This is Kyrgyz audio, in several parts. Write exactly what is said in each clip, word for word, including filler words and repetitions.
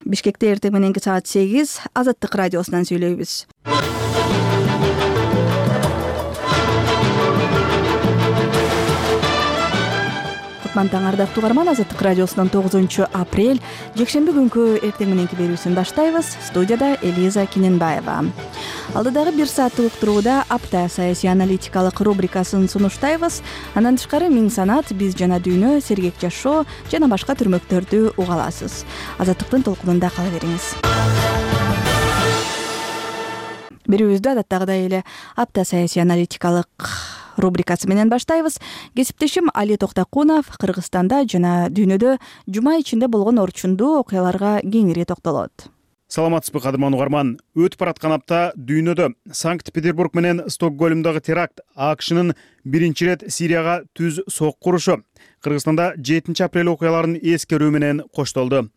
Бишкекте эртең мененки саат сегиз Азаттык радиосунан сүйлөйбүз. Кутман таң ардактуу угарман, Азаттык радиосунун тогузунчу апрель жекшемби күнкү эртең мененки берүүсүн баштайбыз. Студияда Элиза Киненбаева. Алдыдагы бир сааттык уктурууда апта саясий аналитикалык рубрикасын сунуштайбыз. Андан тышкары Миң санат, Биз жана дүйнө, Сергек жашоо жана башка түрмөктөрдү уга аласыз. Азаттыктын толкунунда кала бериңиз. Берүүбүздү адаттагыдай эле апта саясий аналитикалык рубрикасы менен баштайбыз. Кесиптешим Али Токтакунов Кыргызстанда жана дүйнөдө жума ичинде болгон орчундуу окуяларга кеңири токтолот. Саламатсызбы кадырман угарман. Өтүп бараткан апта дүйнөдө Санкт-Петербург менен Стокгольмдогу теракт, АКШнын биринчи ирет Сирияга түз сокку урушу, Кыргызстанда жетинчи апрель окуяларын эскерүү менен коштолду.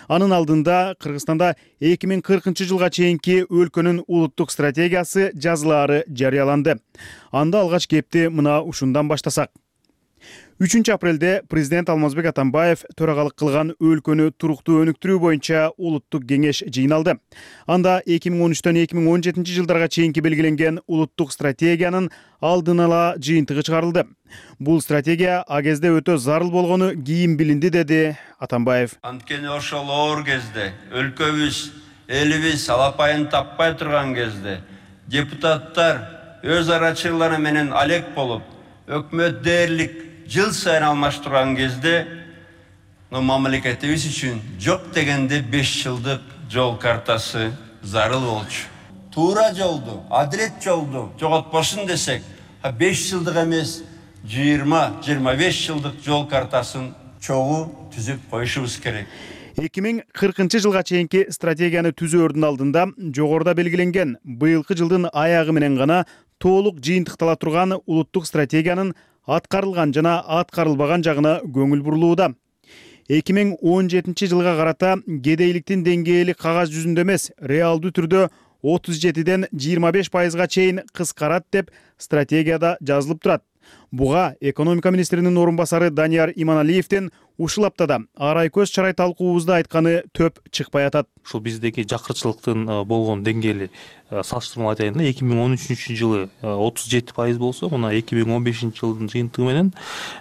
Анын алдында Кыргызстанда эки миң кыркынчы жылга чейинки өлкөнүн улуттук стратегиясы жазылаары жарыяланды. Анда алгач кепти мына ушундан баштасак. үчүнчү апрелде президент Алмазбек Атамбаев төрагалык кылган өлкөнү туруктуу өнүктүрүү боюнча улуттук кеңеш жыйналды. Анда эки миң он үчтөн эки миң он жетинчи жылдарга чейинки белгиленген улуттук стратегиянын алдын ала жыйынтыгы чыгарылды. Бул стратегия а кезде өтө зарыл болгону кийин билинди, деди Атамбаев. Анткени ошол оор кезде, өлкөбүз, элибиз алапайын таппай турган кезде депутаттар өз арачылары менен алек болуп, өкмөт дээрлик жыл сайын алмаштырган кезде мамлекетибиз үчүн жок дегенде беш жылдык жол картасы зарыл болчу. Туура жолду, адилет жолду жоготпошун десек, беш жылдык эмес, жыйырма жыйырма беш жылдык жол картасын чогуу түзүп коюшубуз керек. эки миң кыркынчы жылга чейинки стратегияны түзөөрдүн алдында жогоруда белгиленген быйылкы жылдын аягы менен гана толук жыйынтыктала турган улуттук стратегиянын аткарылган жана аткарылбаган жагына көңүл бурулууда. эки миң он жетинчи жылга карата кедейликтин деңгээли кагаз жүзүндө эмес, реалдуу түрдө отуз жетиден жыйырма беш пайызга чейин кыскарат деп стратегияда жазылып турат. Буга экономика министринин орун басары Данияр Иманалиевдин ушул аптада арай көз чарай талкуубузда айтканы төп чыкпай атат. Ушул биздеги жакырчылыктын болгон деңгээли салыштырмалуу айтайын да, эки миң он үчүнчү жылы отуз жети пайыз болсо, мына эки миң он бешинчи жылдын жыйынтыгы менен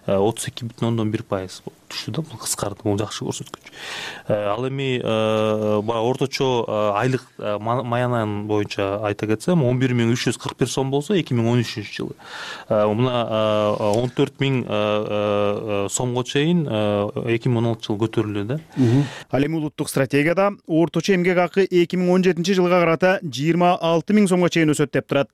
отуз эки бүтүн ондон бир пайыз түштү да. Бул кыскарды, бул жакшы көрсөткүч. Ал эми орточо айлык маянанын боюнча айта кетсем, он бир миң үч жүз кырк бир сом болсо, эки миң он үчүнчү жылы мына он төрт миң сомго чейин эки миң он алтынчы жылы көтөрүлдү да. Ал эми улуттук стратегияда орточо эмгек акы эки миң он жетинчи жылга карата жыйырма алты миң сомго чейин өсөт деп турат.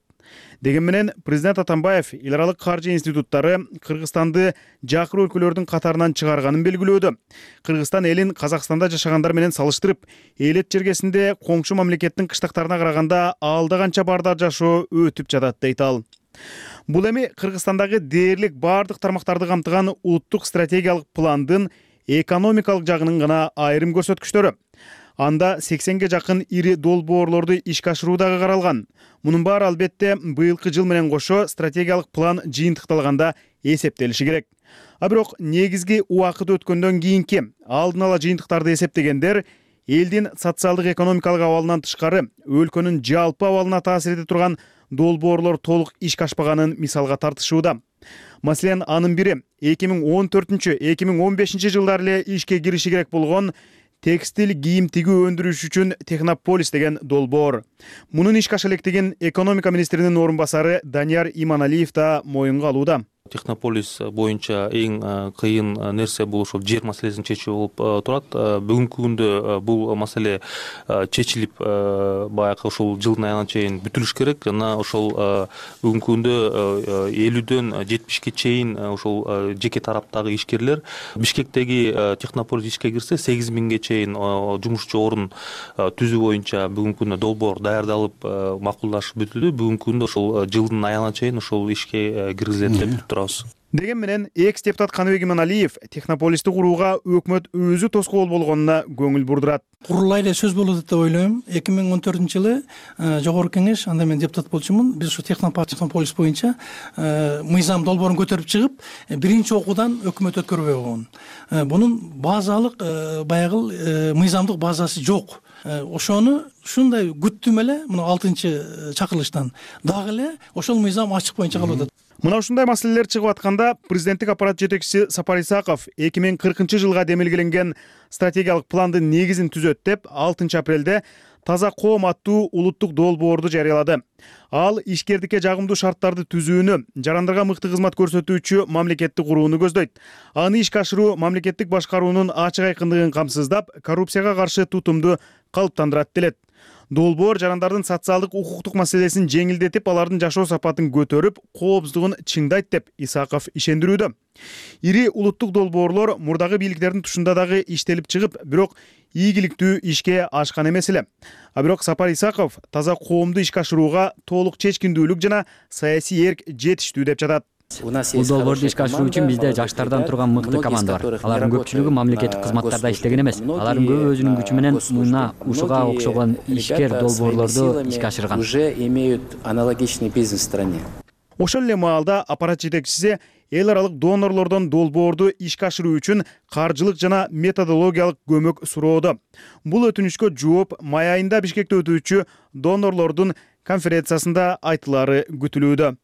Деген менен президент Атамбаев эл аралык каржы институттары Кыргызстанды жакыр өлкөлөрдүн катарынан чыгарганын белгилөөдө. Кыргызстан элин Казакстанда жашагандар менен салыштырып, элет жергесинде коңшу мамлекеттин кыштактарына караганда алда канча бардар жашоо өтүп жатат дейт ал. Бул эми Кыргызстандагы дээрлик бардык тармактарды камтыган улуттук стратегиялык пландын экономикалык жагынын гана айрым көрсөткүчтөрү. Анда сексенге жакын ири долбоорлорду ишке ашыруу дагы каралган. Мунун баары албетте быйылкы жыл менен кошо стратегиялык план жыйынтыкталганда эсептелиши керек. А бирок негизги убакыт өткөндөн кийинки алдын ала жыйынтыктарды эсептегендер элдин социалдык экономикалык абалынан тышкары өлкөнүн жалпы абалына таасир эте турган долбоорлор толук ишке ашпаганын мисалга тартышууда. Маселен, анын бири эки миң он төртүнчү эки миң он бешинчи жылдары эле ишке кириши керек болгон текстил кийим тигүү өндүрүш үчүн Технополис деген долбоор. Мунун ишке аша электигин экономика министринин орун басары Данияр Иманалиев да моюнга алууда. Технополис боюнча эң кыйын нерсе бул ошол жер маселесин чечүү болуп турат. Бүгүнкү күндө бул маселе чечилип, баягы ошол жылдын аягына чейин бүтүлүш керек. Жана ошол бүгүнкү күндө элүүдөн жетимишке чейин ошол жеке тараптагы ишкерлер Бишкектеги Технополис ишке кирсе, сегиз миңге чейин жумушчу орун түзүү боюнча бүгүнкү күндө долбоор даярдалып, макулдашып бүтүлдү. Бүгүнкү күндө ошол жылдын аягына чейин ошол ишке киргизилет деп турабыз. Деген менен экс депутат Каныбек Иманалиев Технополисти курууга өкмөт өзү тоскоол болгонуна көңүл бурдурат. Курулай эле сөз болот деп ойлойм. эки миң он төртүнчү жылы жогорку кеңеш, анда мен депутат болчумун. Биз ушу Технополис боюнча мыйзам долбоорун көтөрүп чыгып, биринчи окуудан өкмөт өткөрбөй койгон. Бунун базалык баягы мыйзамдык базасы жок. Ошону ушундай күттүм эле мына алтынчы чакырылыштан дагы эле ошол мыйзам ачык боюнча калып атат. Мына ушундай маселелер чыгып атканда президенттик аппарат жетекчиси Сапар Исаков эки миң кыркынчы жылга демилгеленген стратегиялык пландын негизин түзөт деп алтынчы апрелде Таза коом аттуу улуттук долбоорду жарыялады. Ал ишкердикке жагымдуу шарттарды түзүүнү, жарандарга мыкты кызмат көрсөтүүчү мамлекетти курууну көздөйт. Аны ишке ашыруу мамлекеттик башкаруунун ачык айкындыгын камсыздап, коррупцияга каршы тутумду калыптандырат делет. Долбоор жарандардын социалдык укуктук маселесин жеңилдетип, алардын жашоо сапатын көтөрүп, коопсуздугун чыңдайт деп Исаков ишендирүүдө. Ири улуттук долбоорлор мурдагы бийликтердин тушунда дагы иштелип чыгып, бирок ийгиликтүү ишке ашкан эмес эле. А бирок Сапар Исаков таза коомду ишке ашырууга толук чечкиндүүлүк жана саясий эрк жетиштүү деп жатат. Бул долбоорду ишке ашыруу үчүн бизде жаштардан турган мыкты команда бар. Алардын көпчүлүгү мамлекеттик кызматтарда иштеген эмес. Алардын көбү өзүнүн күчү менен мына ушуга окшогон ишкер долбоорлорду ишке ашырган. Уже имеют аналогичный бизнес в стране. Ошол эле маалда аппарат жетекчиси эл аралык донорлордон долбоорду ишке ашыруу үчүн каржылык жана методологиялык көмөк суроодо. Бул өтүнүчкө жооп май айында Бишкекте өтүүчү донорлордун конференциясында айтылары күтүлүүдө.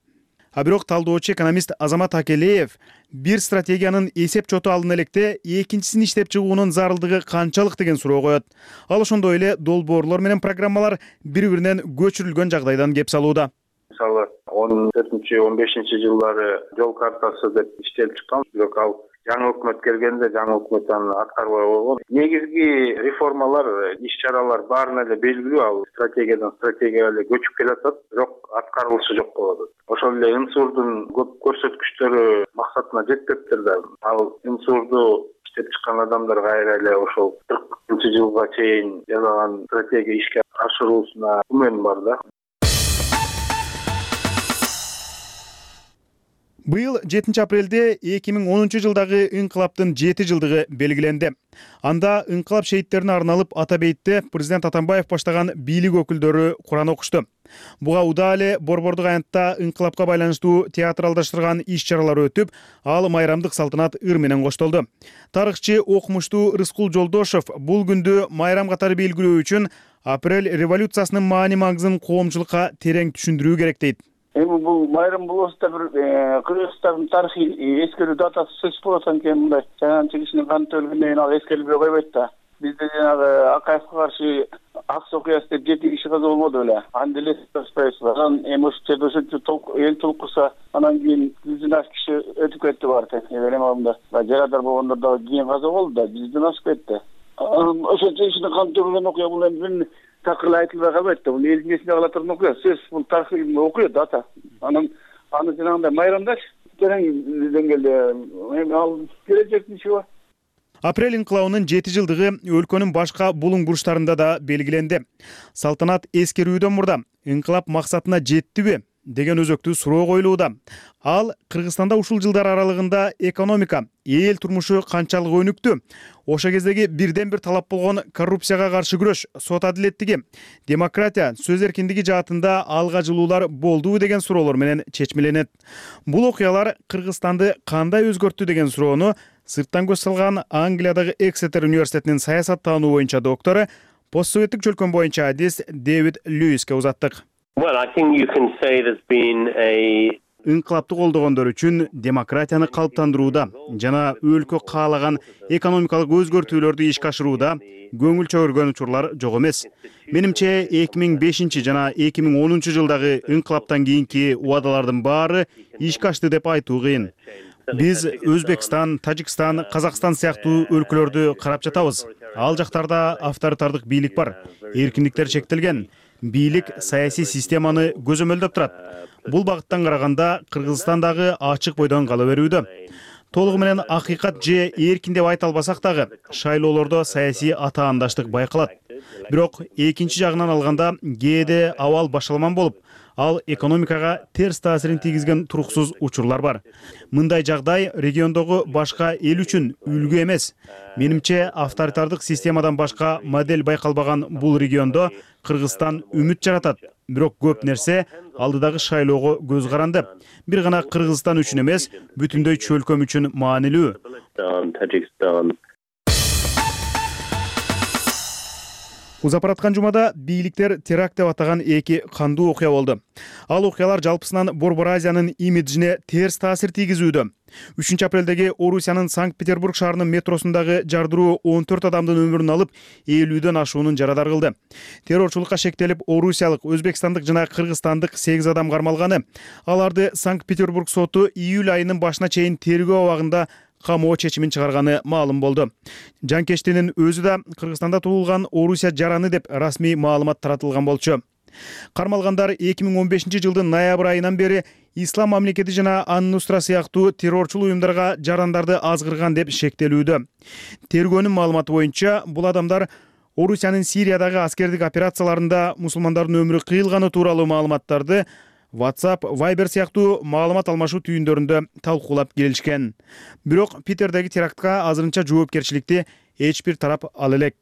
А бирок талдоочу экономист Азамат Акелеев бир стратегиянын эсеп чоту алына электе экинчисин иштеп чыгуунун зарылдыгы канчалык деген суроо коет. Ал ошондой эле долбоорлор менен программалар бири-биринен көчүрүлгөн жагдайдан кеп салууда. Мисалы он төртүнчү он бешинчи жылдары жол картасы деп иштелип чыккан, бирок ал жаңы өкмөт келгенде жаңы өкмөт аны аткарбай койгон. Негизги реформалар, иш-чаралар баарына эле белгилүү, ал стратегиядан стратегияга эле көчүп келатат, бирок аткарылышы жок болуп атат. Ошол эле ынсурдун көп көрсөткүчтөрү максатына жетпептир да. Ал ынсурду иштеп чыккан адамдар кайра эле ошол кыркынчы жылга чейин жасаган стратегия ишке ашыруусуна күмөн бар да. Быйыл жетинчи апрелде эки миң онунчу жылдагы ыңкылаптын жети жылдыгы белгиленди. Анда ыңкылап шейиттерине арналып Атабейтте президент Атамбаев баштаган бийлик өкүлдөрү Куран окушту. Буга удаа эле Борбордук аянтта ыңкылапка байланыштуу театралдаштырган иш-чаралар өтүп, ал майрамдык салтанат ыр менен коштолду. Тарыхчы окумуштуу Рыскул Жолдошев бул күндү майрам катары белгилөө үчүн апрель революциясынын маани-маңызын коомчулукка терең түшүндүрүү керек дейт. Эми бул майрам болобузда бир Кыргызстандын тарыхый эскерүү датасы сөз болот экен, мындай жаганчы кишинин каны төгүлгөндөн кийин ал эскерилбей койбойт да. Бизде жанагы Акаевге каршы Акс окуясы деп жети киши каза болбоду беле. Анда эле спайсыз. Анан эми ошол жерде ошончо эл толкуса, анан кийин жүздөн ашык киши өтүп кетти бар экен. Эми алдында жарадар болгондор дагы кийин каза болду да, жүздөн ашык кетти. Ошончо кишинин каны төгүлгөн окуя бул эми такыр айтылбай калбайт да. Бул элдин эсинде кала турган окуя. Сөз бул тарыхый окуя дата. Анан аны жанагындай майрамдаш терең деңгээлде эми ал келечектин иши бар. Апрель инкылабынын жети жылдыгы өлкөнүн башка булуң бурчтарында да белгиленди. Салтанат эскерүүдөн мурда инкылап максатына жеттиби деген өзөктүү суроо коюлууда. Ал Кыргызстанда ушул жылдар аралыгында экономика, эл турмушу канчалык өнүктү? Ошо кездеги бирден бир талап болгон коррупцияга каршы күрөш, сот адилеттиги, демократия, сөз эркиндиги жаатында алга жылуулар болдубу деген суроолор менен чечмеленет. Бул окуялар Кыргызстанды кандай өзгөрттү деген суроону сырттан көз салган Англиядагы Эксетер университетинин саясаттануу боюнча доктору, постсоветтик чөлкөн боюнча адис Дэвид Льюиске узаттык. Инкылапты колдогондор үчүн демократияны калыптандырууда жана өлкө каалаган экономикалык өзгөртүүлөрдү ишке ашырууда көңүл чөгөргөн учурлар жок эмес. Менимче эки миң бешинчи жана эки миң онунчу жылдагы инкылаптан кийинки убадалардын баары ишке ашты деп айтуу кыйын. Биз Өзбекстан, Тажикстан, Казакстан сыяктуу өлкөлөрдү карап жатабыз. Ал жактарда авторитардык бийлик бар, эркиндиктер чектелген. Бийлик саясий системаны көзөмөлдөп турат. Бул багыттан караганда Кыргызстандагы ачык бойдон кала берүүдө. толугу менен акыйкат же эркин деп айта албасак дагы шайлоолордо саясий атаандаштык байкалат. Бирок экинчи жагынан алганда кээде абал башаламан болуп, ал экономикага терс таасирин тийгизген туруксуз учурлар бар. Мындай жагдай региондогу башка эл үчүн үлгү эмес. Менимче, авторитардык системадан башка модель байкалбаган бул региондо Кыргызстан үмүт жаратат. Бирок көп нерсе алдыдагы шайлоого көз каранды. Бир гана Кыргызстан үчүн эмес, бүтүндөй чөлкөм үчүн маанилүү. Узап бараткан жумада бийликтер теракт деп атаган эки кандуу окуя болду. Ал окуялар жалпысынан Борбор Азиянын имиджине терс таасир тийгизүүдө. үчүнчү апрелдеги Орусиянын Санкт-Петербург шаарынын метросундагы жардыруу он төрт адамдын өмүрүн алып, элүүдөн ашуунун жарадар кылды. Террорчулукка шектелип, орусиялык, өзбекстандык жана кыргызстандык сегиз адам кармалганы. Аларды Санкт-Петербург соту июль айынын башына чейин тергөө абагында камоо чечимин чыгарганы маалым болду. Жанкештинин өзү да Кыргызстанда туулган Орусия жараны деп расмий маалымат таратылган болчу. Кармалгандар эки миң он бешинчи жылдын ноябрь айынан бери Ислам мамлекети жана Ан-Нусра сыяктуу террорчул уюмдарга жарандарды азгырган деп шектелүүдө. Тергөөнүн маалыматы боюнча, бул адамдар Орусиянын Сириядагы аскердик операцияларында мусулмандардын өмүрү кыйылганы тууралуу маалыматтарды WhatsApp, Viber сыяктуу маалымат алмашуу түйүндөрүндө талкуулап келишкен. Бирок Питердеги терактка азырынча жоопкерчиликти эч бир тарап ала элек.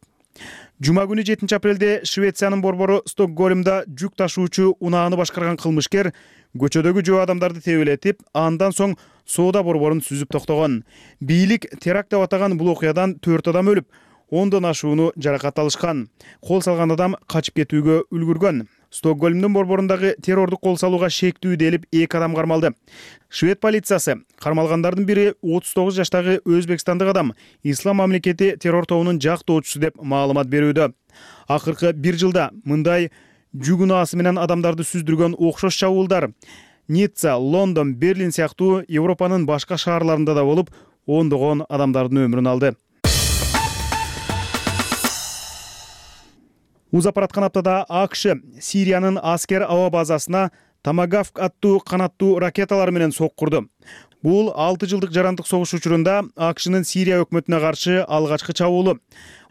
Жума күнү жетинчи апрелде Швециянын борбору Стокгольмда жүк ташуучу унааны башкарган кылмышкер көчөдөгү жөө адамдарды тебелетип, андан соң соода борборун сүзүп токтогон. Бийлик теракт деп атаган бул окуядан төрт адам өлүп, ондон ашууну жаракат алышкан. Кол салган адам качып кетүүгө үлгүргөн. Стокгольмдун борборундагы террордук кол салууга шектүү делип эки адам кармалды. Швед полициясы кармалгандардын бири отуз тогуз жаштагы өзбекстандык адам, Ислам мамлекети террор тобунун жактоочусу деп маалымат берүүдө. Акыркы бир жылда мындай жүк унаасы менен адамдарды сүздүргөн окшош чабуулдар Ницца, Лондон, Берлин сыяктуу Европанын башка шаарларында да болуп, ондогон адамдардын өмүрүн алды. Узап бараткан аптада АКШ Сириянын аскер аба базасына Томагавк аттуу канаттуу ракеталар менен соккурду. Бул алты жылдык жарандык согуш учурунда АКШнын Сирия өкмөтүнө каршы алгачкы чабуулу.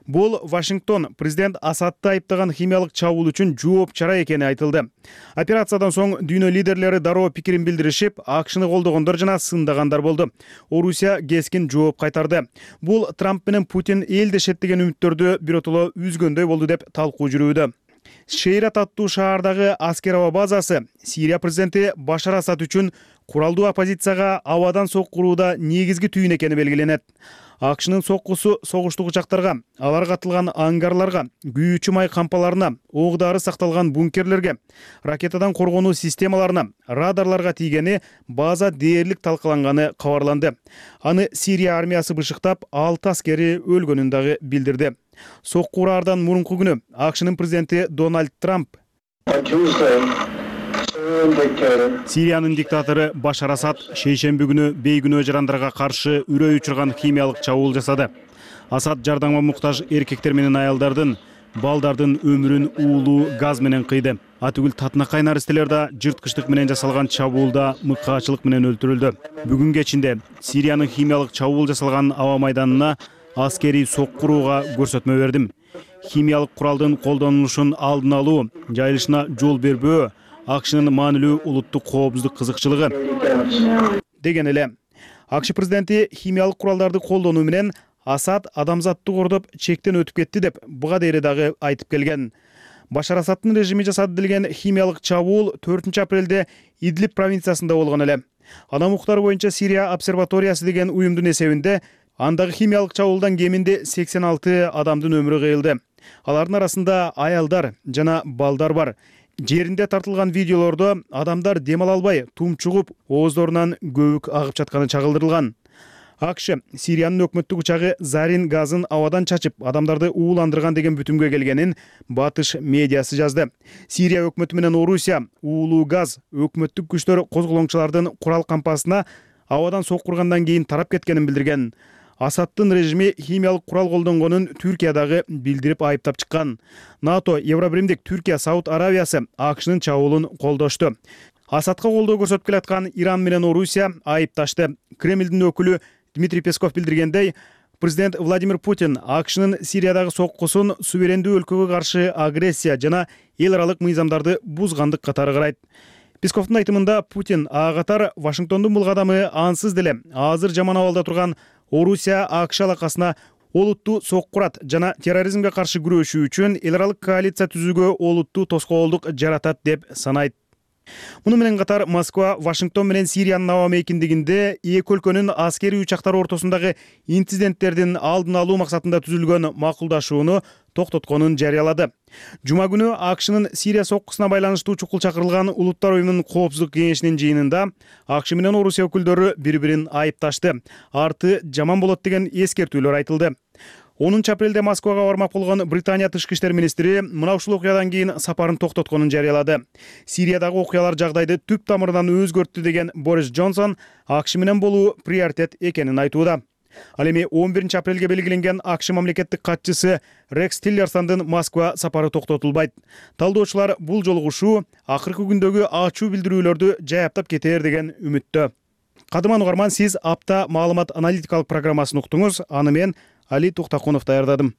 Бул Вашингтон президент Асадты айыптаган химиялык чабуул үчүн жооп чара экени айтылды. Операциядан соң дүйнө лидерлери дароо пикирин билдиришип, АКШны колдогондор жана сындагандар болду. Орусия кескин жооп кайтарды. Бул Трамп менен Путин элдешет деген үмүттөрдү биротоло үзгөндөй болду деп талкуу жүрүүдө. Шейрат аттуу шаардагы аскер аба базасы Сирия президенти Башар Асад үчүн куралдуу оппозицияга абадан соккурууда негизги түйүн экени белгиленет. АКШнын соккусу согуштук учактарга, алар катылган ангарларга, күйүүчү май кампаларына, ок дары сакталган бункерлерге, ракетадан коргонуу системаларына, радарларга тийгени база дээрлик талкаланганы кабарланды. Аны Сирия армиясы бышыктап, алты аскери өлгөнүн дагы билдирди. Соккураардан мурунку күнү АКШнын президенти Дональд Трамп Сириянын диктатору Башар Асад шейшемби күнү бейгүнөө жарандарга каршы үрөй учурган химиялык чабуул жасады. Асад жардамга муктаж эркектер менен аялдардын, балдардын өмүрүн уулуу газ менен кыйды. Атүгүл татынакай наристелер да жырткычтык менен жасалган чабуулда мыкаачылык менен өлтүрүлдү. Бүгүн кечинде Сириянын химиялык чабуул жасалган аба майданына аскери соккурууга көрсөтмө бердим. Химиялык куралдын колдонулушун алдын алуу, жайылышына жол бербөө АКШнын маанилүү улуттук коопсуздук кызыкчылыгы деген эле. АКШ президенти химиялык куралдарды колдонуу менен Асад адамзатты кордоп чектен өтүп кетти деп буга дейре дагы айтып келген. Башар Асадтын режими жасады делген химиялык чабуул төртүнчү апрелде Идлиб провинциясында болгон эле. Анын уктары боюнча Сирия обсерваториясы деген уюмдун эсебинде андагы химиялык чабуулдан кеминде сексен алты адамдын өмүрү кыйылды. Алардын арасында аялдар жана балдар бар. Жеринде тартылган видеолордо адамдар дем ала албай, тумчугуп, ооздорунан көбүк агып жатканы чагылдырылган. АКШ Сириянын өкмөттүк учагы зарин газын абадан чачып, адамдарды ууландырган деген бүтүмгө келгенин батыш медиасы жазды. Сирия өкмөтү менен Орусия уулуу газ өкмөттүк күчтөр козголоңчулардын курал кампасына абадан соккургандан кийин тарап кеткенин билдирген. Асадтын режими химиялык курал колдонгонун Түркия дагы билдирип айыптап чыккан. НАТО, Евробиримдик Түркия, Сауд Аравиясы АКШнын чабуулун колдошту. Асадка колдоо көрсөтүп келаткан Иран менен Орусия айыпташты. Кремлдин өкүлү Дмитрий Песков билдиргендей, президент Владимир Путин АКШнын Сириядагы соккусун суверендүү өлкөгө каршы агрессия жана эл аралык мыйзамдарды бузгандык катары карайт. Песковдун айтымында Путин ага катар Вашингтондун бул кадамы ансыз деле азыр жаман абалда турган Орусия АКШ алакасына олуттуу соккурат жана терроризмге каршы күрөшүү үчүн эл аралык коалиция түзүүгө олуттуу тоскоолдук жаратат деп санайт. Муну менен катар Москва Вашингтон менен Сириянын аба мейкиндигинде эки өлкөнүн аскерий учактары ортосундагы инциденттердин алдын алуу максатында түзүлгөн макулдашууну токтотконун жарыялады. Жума күнү АКШнын Сирия соккусуна байланыштуу чукул чакырылган Улуттар уюмунун коопсуздук кеңешинин жыйынында АКШ менен Орусия өкүлдөрү бири-бирин айыпташты. Арты жаман болот деген эскертүүлөр айтылды. онунчу апрелде Москвага бармак болгон Британия тышкы иштер министри мына ушул окуядан кийин сапарын токтотконун жарыялады. Сириядагы окуялар жагдайды түп тамырынан өзгөрттү деген Борис Джонсон АКШ менен болуу приоритет экенин айтууда. Ал эми он биринчи апрелге белгиленген АКШ мамлекеттик катчысы Рекс Тиллерсондун Москва сапары токтотулбайт. Талдоочулар бул жолугушуу акыркы күндөгү ачуу билдирүүлөрдү жаяптап кетер деген үмүттө. Кадыман угарман, сиз апта маалымат аналитикалык программасын уктуңуз. Аны мен Али Туктакунов даярдадым.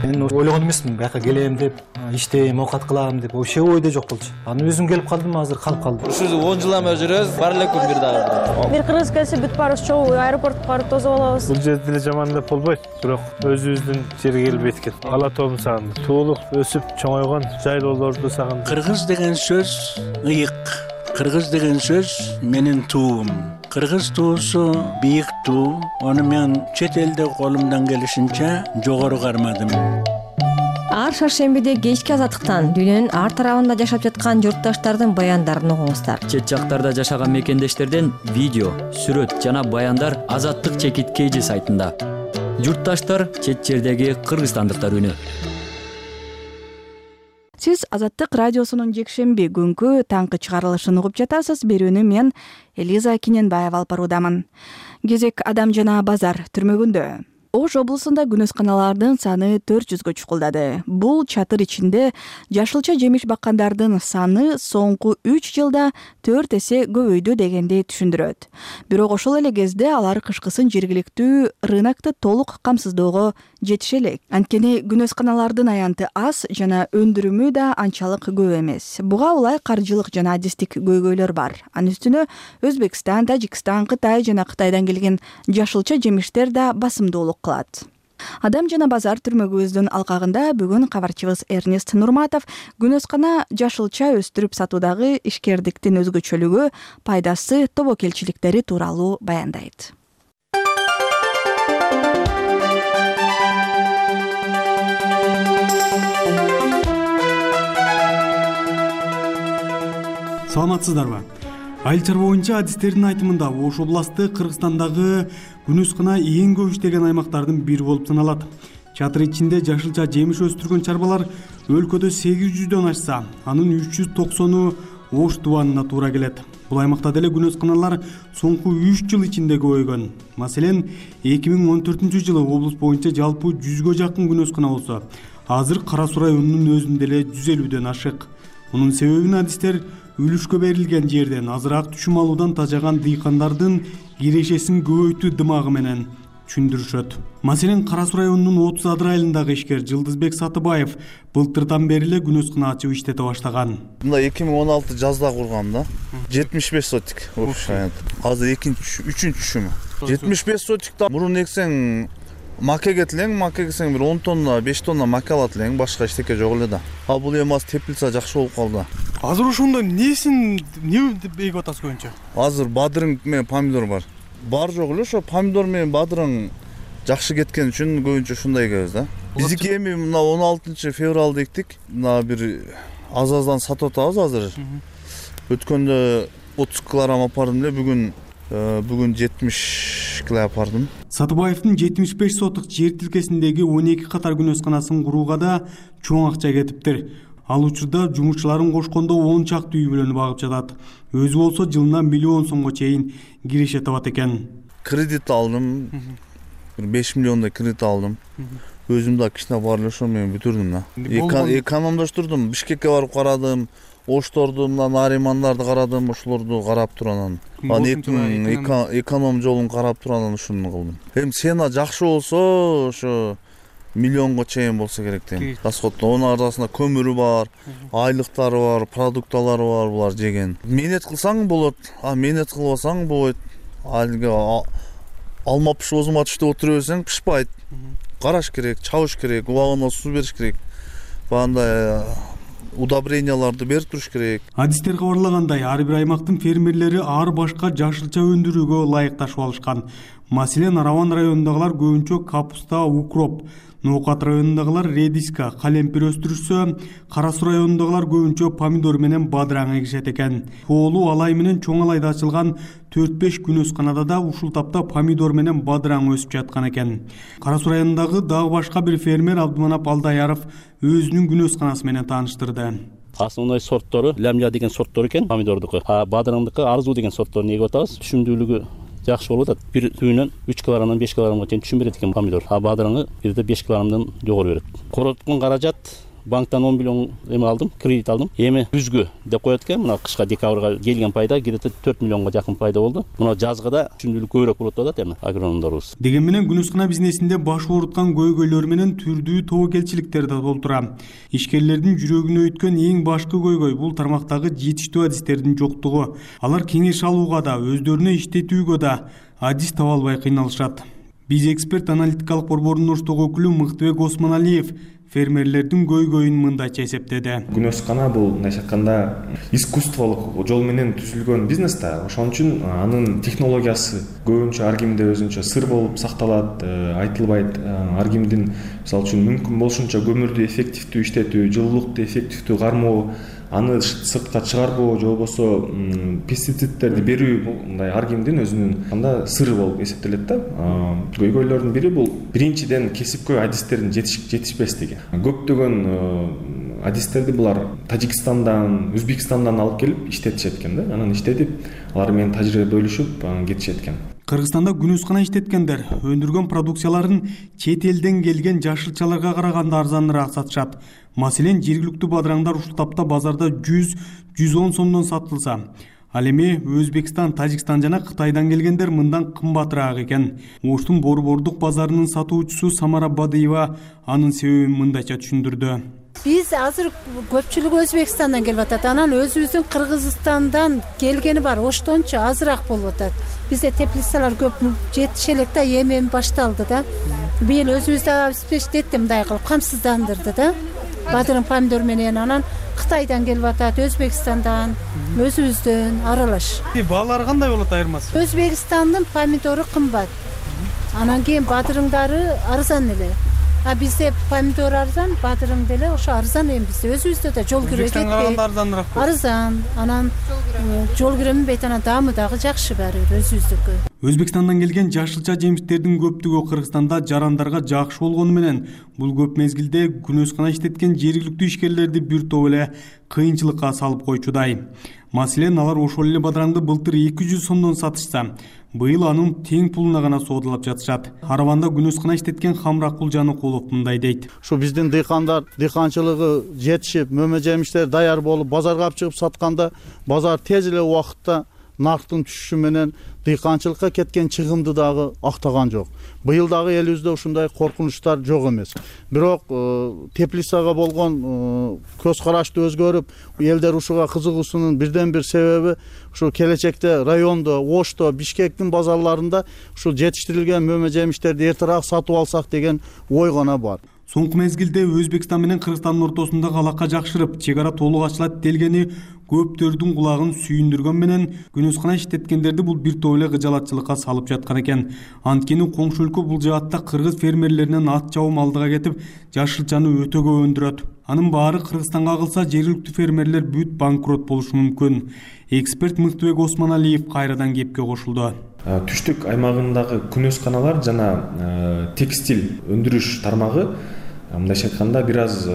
Мен ойлогон эмесмин, бияка келем деп, иштейм, оокат кылам деп, вообще ойдо жок болчу. Аны өзүм келип калдым, азыр калып калдым. Ушул он жыл эме жүрөбүз, бар эле күн бир дагы. Бир кыргыз келсе бүт баарыбыз чогуу аэропортко барып тосуп алабыз. Бул жерде деле жаман деп болбойт, бирок өзүбүздүн жерге келип эткет. Ала тоом сагындым. Туулук өсүп чоңойгон жайлоолорду сагындым. Кыргыз деген сөз ыйык. Кыргыз деген сөз менин туум. Кыргыз туусу бийик туу. Аны мен чет элде колумдан келишинче жогору кармадым. Ар шаршембиде кечки азаттыктан дүйнөнүн ар тарабында жашап жаткан журтташтардын баяндарын угуңуздар. Чет жактарда жашаган мекендештерден видео, сүрөт жана баяндар Азаттык чекит кей жи сайтында. Журтташтар чет жердеги кыргызстандыктар үнү. Сиз Азаттык радиосунун жекшемби күнкү таңкы чыгарылышын угуп жатасыз. Берүүнү мен Элиза Киненбаева алып баруудамын. Кезек Адам жана базар түрмөгүндө. Ош облусунда күнөсканалардын саны төрт жүзгө чукулдады. Бул чатыр ичинде жашылча жемиш баккандардын саны соңку үч жылда төрт эсе көбөйдү дегенди түшүндүрөт. Бирок ошол эле кезде алар кышкысын жергиликтүү рынокто толук камсыздоого жетише элек. Анткени күнөсканалардын аянты аз жана өндүрүмү да анчалык көп эмес. Буга улай каржылык жана адистик көйгөйлөр бар. Анын үстүнө Өзбекстан, Тажикстан, Кытай жана Кытайдан келген жашылча жемиштер да басымдуулук кылат. Адам жана базар түрмөгүбүздүн алкагында бүгүн кабарчыбыз Эрнест Нурматов күнөскана жашылча өстүрүп сатуудагы ишкердиктин өзгөчөлүгү, пайдасы, тобокелчиликтери тууралуу баяндайт. Саламатсыздарбы? Айыл боюнча адистердин айтымында Ош областы Кыргызстандагы күнөскана эң көп иштеген аймактардын бири болуп саналат. Чатыр ичинде жашылча жемиш өстүргөн чарбалар өлкөдө сегиз жүздөн ашса, анын үч жүз токсону Ош тубанына туура келет. Бул аймакта деле күнөсканалар соңку үч жыл ичинде көбөйгөн. Маселен, эки миң он төртүнчү жылы облус боюнча жалпы жүзгө жакын күнөскана болсо, азыр Кара Суу районунун өзүндө эле жүз элүүдөн ашык. Мунун себебин адистер үлүшкө берилген жерден азыраак түшүм алуудан тажаган дыйкандардын кирешесин көбөйтүү дымагы менен түшүндүрүшөт. Маселен, Кара Суу районунун отуз адыр айылындагы ишкер Жылдызбек Сатыбаев былтырдан бери эле күнөскана ачып иштете баштаган. Мында эки миң он алты жазда кургам да. жетимиш беш сотик. Азыр экинчи, үчүнчү түшүмү. жетимиш беш сотикта мурун эксең макеге тилең, маке эксең бир он тонна, беш тонна маке алат элең, башка эчтеке жок эле да. А бул эми аз тепилсе жакшы болуп калды. Азыр ошондо несин эмне деп эгип атасыз көбүнчө? Азыр бадырың менен помидор бар. Бар жок эле ошо помидор менен бадырың жакшы кеткен үчүн көбүнчө ушундай эгебиз да. Биздики эми мына он алтынчы февралда эктик. Мына бир аз-аздан сатып атабыз азыр. Өткөндө отуз килограмм апардым эле, бүгүн бүгүн жетимиш кило апардым. Сатыбаевдин жетимиш беш сотук жер тилкесиндеги он эки катар күнөсканасын курууга да чоң акча кетиптир. Ал учурда жумушчуларын кошкондо он чакты үй бүлөнү багып жатат. Өзү болсо жылына миллион сомго чейин киреше табат экен. Кредит алдым. Бир беш миллиондой кредит алдым. Өзүм да кичине бар эле ошо менен бүтүрдүм да. Экономдоштурдум. Бишкекке барып карадым. Ошторду, мына наримандарды карадым, ушуларды карап туруп анан анан эконом жолун карап туруп анан ушуну кылдым. Эми цена жакшы болсо, ошо миллионго чейин болсо керек дейм. Расходдо онун арасында көмүрү бар, айлыктары бар, продукталары бар, булар жеген. Менет кылсаң болот, а менет кылбасаң болбойт. Алга алма пишип озума түштү отура берсең пишпайт. Караш керек, чабыш керек, убагында суу бериш керек. Бандай удобренияларды берип туруш керек. Адистер кабарлагандай, ар бир аймактын фермерлери ар башка жашылча өндүрүүгө ылайыкташып алышкан. Маселен, Араван районундагылар көбүнчө капуста, укроп, Ноокат районундагылар редиска, калемпир өстүрүшсө, Кара Суу районундагылар көбүнчө помидор менен бадыраң эгишет экен. Тоолуу Алай менен Чоң Алайда ачылган төрт беш күнөсканада да ушул тапта помидор менен бадыраң өсүп жаткан экен. Кара Суу районундагы дагы башка бир фермер Абдыманап Алдаяров өзүнүн күнөсканасы менен тааныштырды. Основной сорттору лямля деген сорттор экен, помидордуку. А бадыраңдыкы Арзу деген сортторун эгип атабыз. Түшүмдүүлүгү жакшы болуп атат. Бир түйүнөн үч килограммдан беш килограммга чейин түшүм берет экен помидор. А бадыраңы бирде беш килограммдан жогору берет. Короткон каражат банктан он миллион эме алдым, кредит алдым. Эми күзгү деп коет экен. Мына кышка декабрга келген пайда где-то төрт миллионго жакын пайда болду. Мына жазгыда түшүмдүүлүк көбүрөөк болот деп атат эми агрономдорубуз. Деген менен күнөскана бизнесинде баш ооруткан көйгөйлөр менен түрдүү тобокелчиликтер да толтура. Ишкерлердин жүрөгүнө өткөн эң башкы көйгөй бул тармактагы жетиштүү адистердин жоктугу. Алар кеңеш алууга да, өздөрүнө иштетүүгө да адис таба албай кыйналышат. Биз эксперт аналитикалык борборунун оштогу өкүлү Мыктыбек Осмоналиев фермерлердин көйгөйүн мындайча эсептеди. Күнөскана бул мындайча айтканда искусстволук жол менен түзүлгөн бизнес да. Ошон үчүн анын технологиясы көбүнчө ар кимде өзүнчө сыр болуп сакталат, айтылбайт. Ар кимдин мисалы үчүн мүмкүн болушунча көмүрдү эффективдүү иштетүү, жылуулукту эффективдүү кармоо, аны сыртка чыгарбоо же болбосо пестицидтерди берүү мындай ар кимдин өзүнүн анда сыры болуп эсептелет да. Көйгөйлөрдүн бири бул биринчиден кесипкөй адистердин жетишпештиги. Көптөгөн адистерди булар Тажикстандан, Өзбекстандан алып келип иштетишет экен да. Анан иштетип, алар менен тажрыйба бөлүшүп кетишет экен. Кыргызстанда күнөскана иштеткендер өндүргөн продукцияларын чет элден келген жашылчаларга караганда арзаныраак сатышат. Маселен, жергиликтүү бадыраңдар ушул тапта базарда жүз жүз он сомдон сатылса, ал эми Өзбекстан, Тажикстан жана Кытайдан келгендер мындан кымбатыраак экен. Оштун борбордук базарынын сатуучусу Самара Бадыева анын себебин мындайча түшүндүрдү. Биз азыр көпчүлүгү Өзбекстандан келип атат. Анан өзүбүздүн Кыргызстандан келгени бар, оштончу азыраак болуп атат. Бизде теплицалар көп жетише элек да, эми башталды да. Быйыл өзүбүздү обеспечить мындай кылып камсыздандырды да. Бадырың помидор менен анан Кытайдан келип атат, Өзбекстандан, өзүбүздөн аралаш. Баалары кандай болот айырмасы? Өзбекстандын помидору кымбат. Анан кийин бадырыңдары арзан эле. А бизде помидор арзан, бадырың деле ошо арзан эми бизде. Өзүбүздө да жол кирөө кетпейт. Өзбекстанга арзаныраак. Арзан. Анан жол киренбейт, анан даамы дагы жакшы баары өзүбүздүкү. Өзбекстандан келген жашылча жемиштердин көптүгү Кыргызстанда жарандарга жакшы болгону менен бул көп мезгилде күнөскана иштеткен жергиликтүү ишкерлерди бир топ эле кыйынчылыкка салып койчудай. Маселен, алар ошол эле бадыраңды былтыр эки жүз сомдон сатышса, быйыл анын тең пулуна гана соодалап жатышат. Араванда күнөскана иштеткен Хамрак Кулжаныкулов мындай дейт. Ушу биздин дыйкандар дыйканчылыгы жетишип, мөмө жемиштер даяр болуп, базарга алып чыгып сатканда, базар тез эле убакытта нарктын түшүшү менен дыйканчылыкка кеткен чыгымды дагы актаган жок. Быйыл дагы элибизде ушундай коркунучтар жок эмес. Бирок теплицага болгон көз карашты өзгөрүп, элдер ушуга кызыгуусунун бирден бир себеби ушу келечекте райондо, Ошто, Бишкектин базарларында ушул жетиштирилген мөмө жемиштерди эртерээк сатып алсак деген ой гана бар. Соңку мезгилде Өзбекстан менен Кыргызстандын ортосундагы алака жакшырып, чек ара толук ачылат делгени көптөрдүн кулагын сүйүндүргөн менен күнөскана иштеткендерди бул бир топ эле кыжалатчылыкка салып жаткан экен. Анткени коңшу өлкө бул жаатта кыргыз фермерлеринен ат чабуу алдыга кетип, жашылчаны өтө көп өндүрөт. Анын баары Кыргызстанга калса жергиликтүү фермерлер бүт банкрот болушу мүмкүн. Эксперт Мыктыбек Осмоналиев кайрадан кепке кошулду. Түштүк аймагындагы күнөсканалар жана текстиль өндүрүш тармагы мындайча айтканда бир аз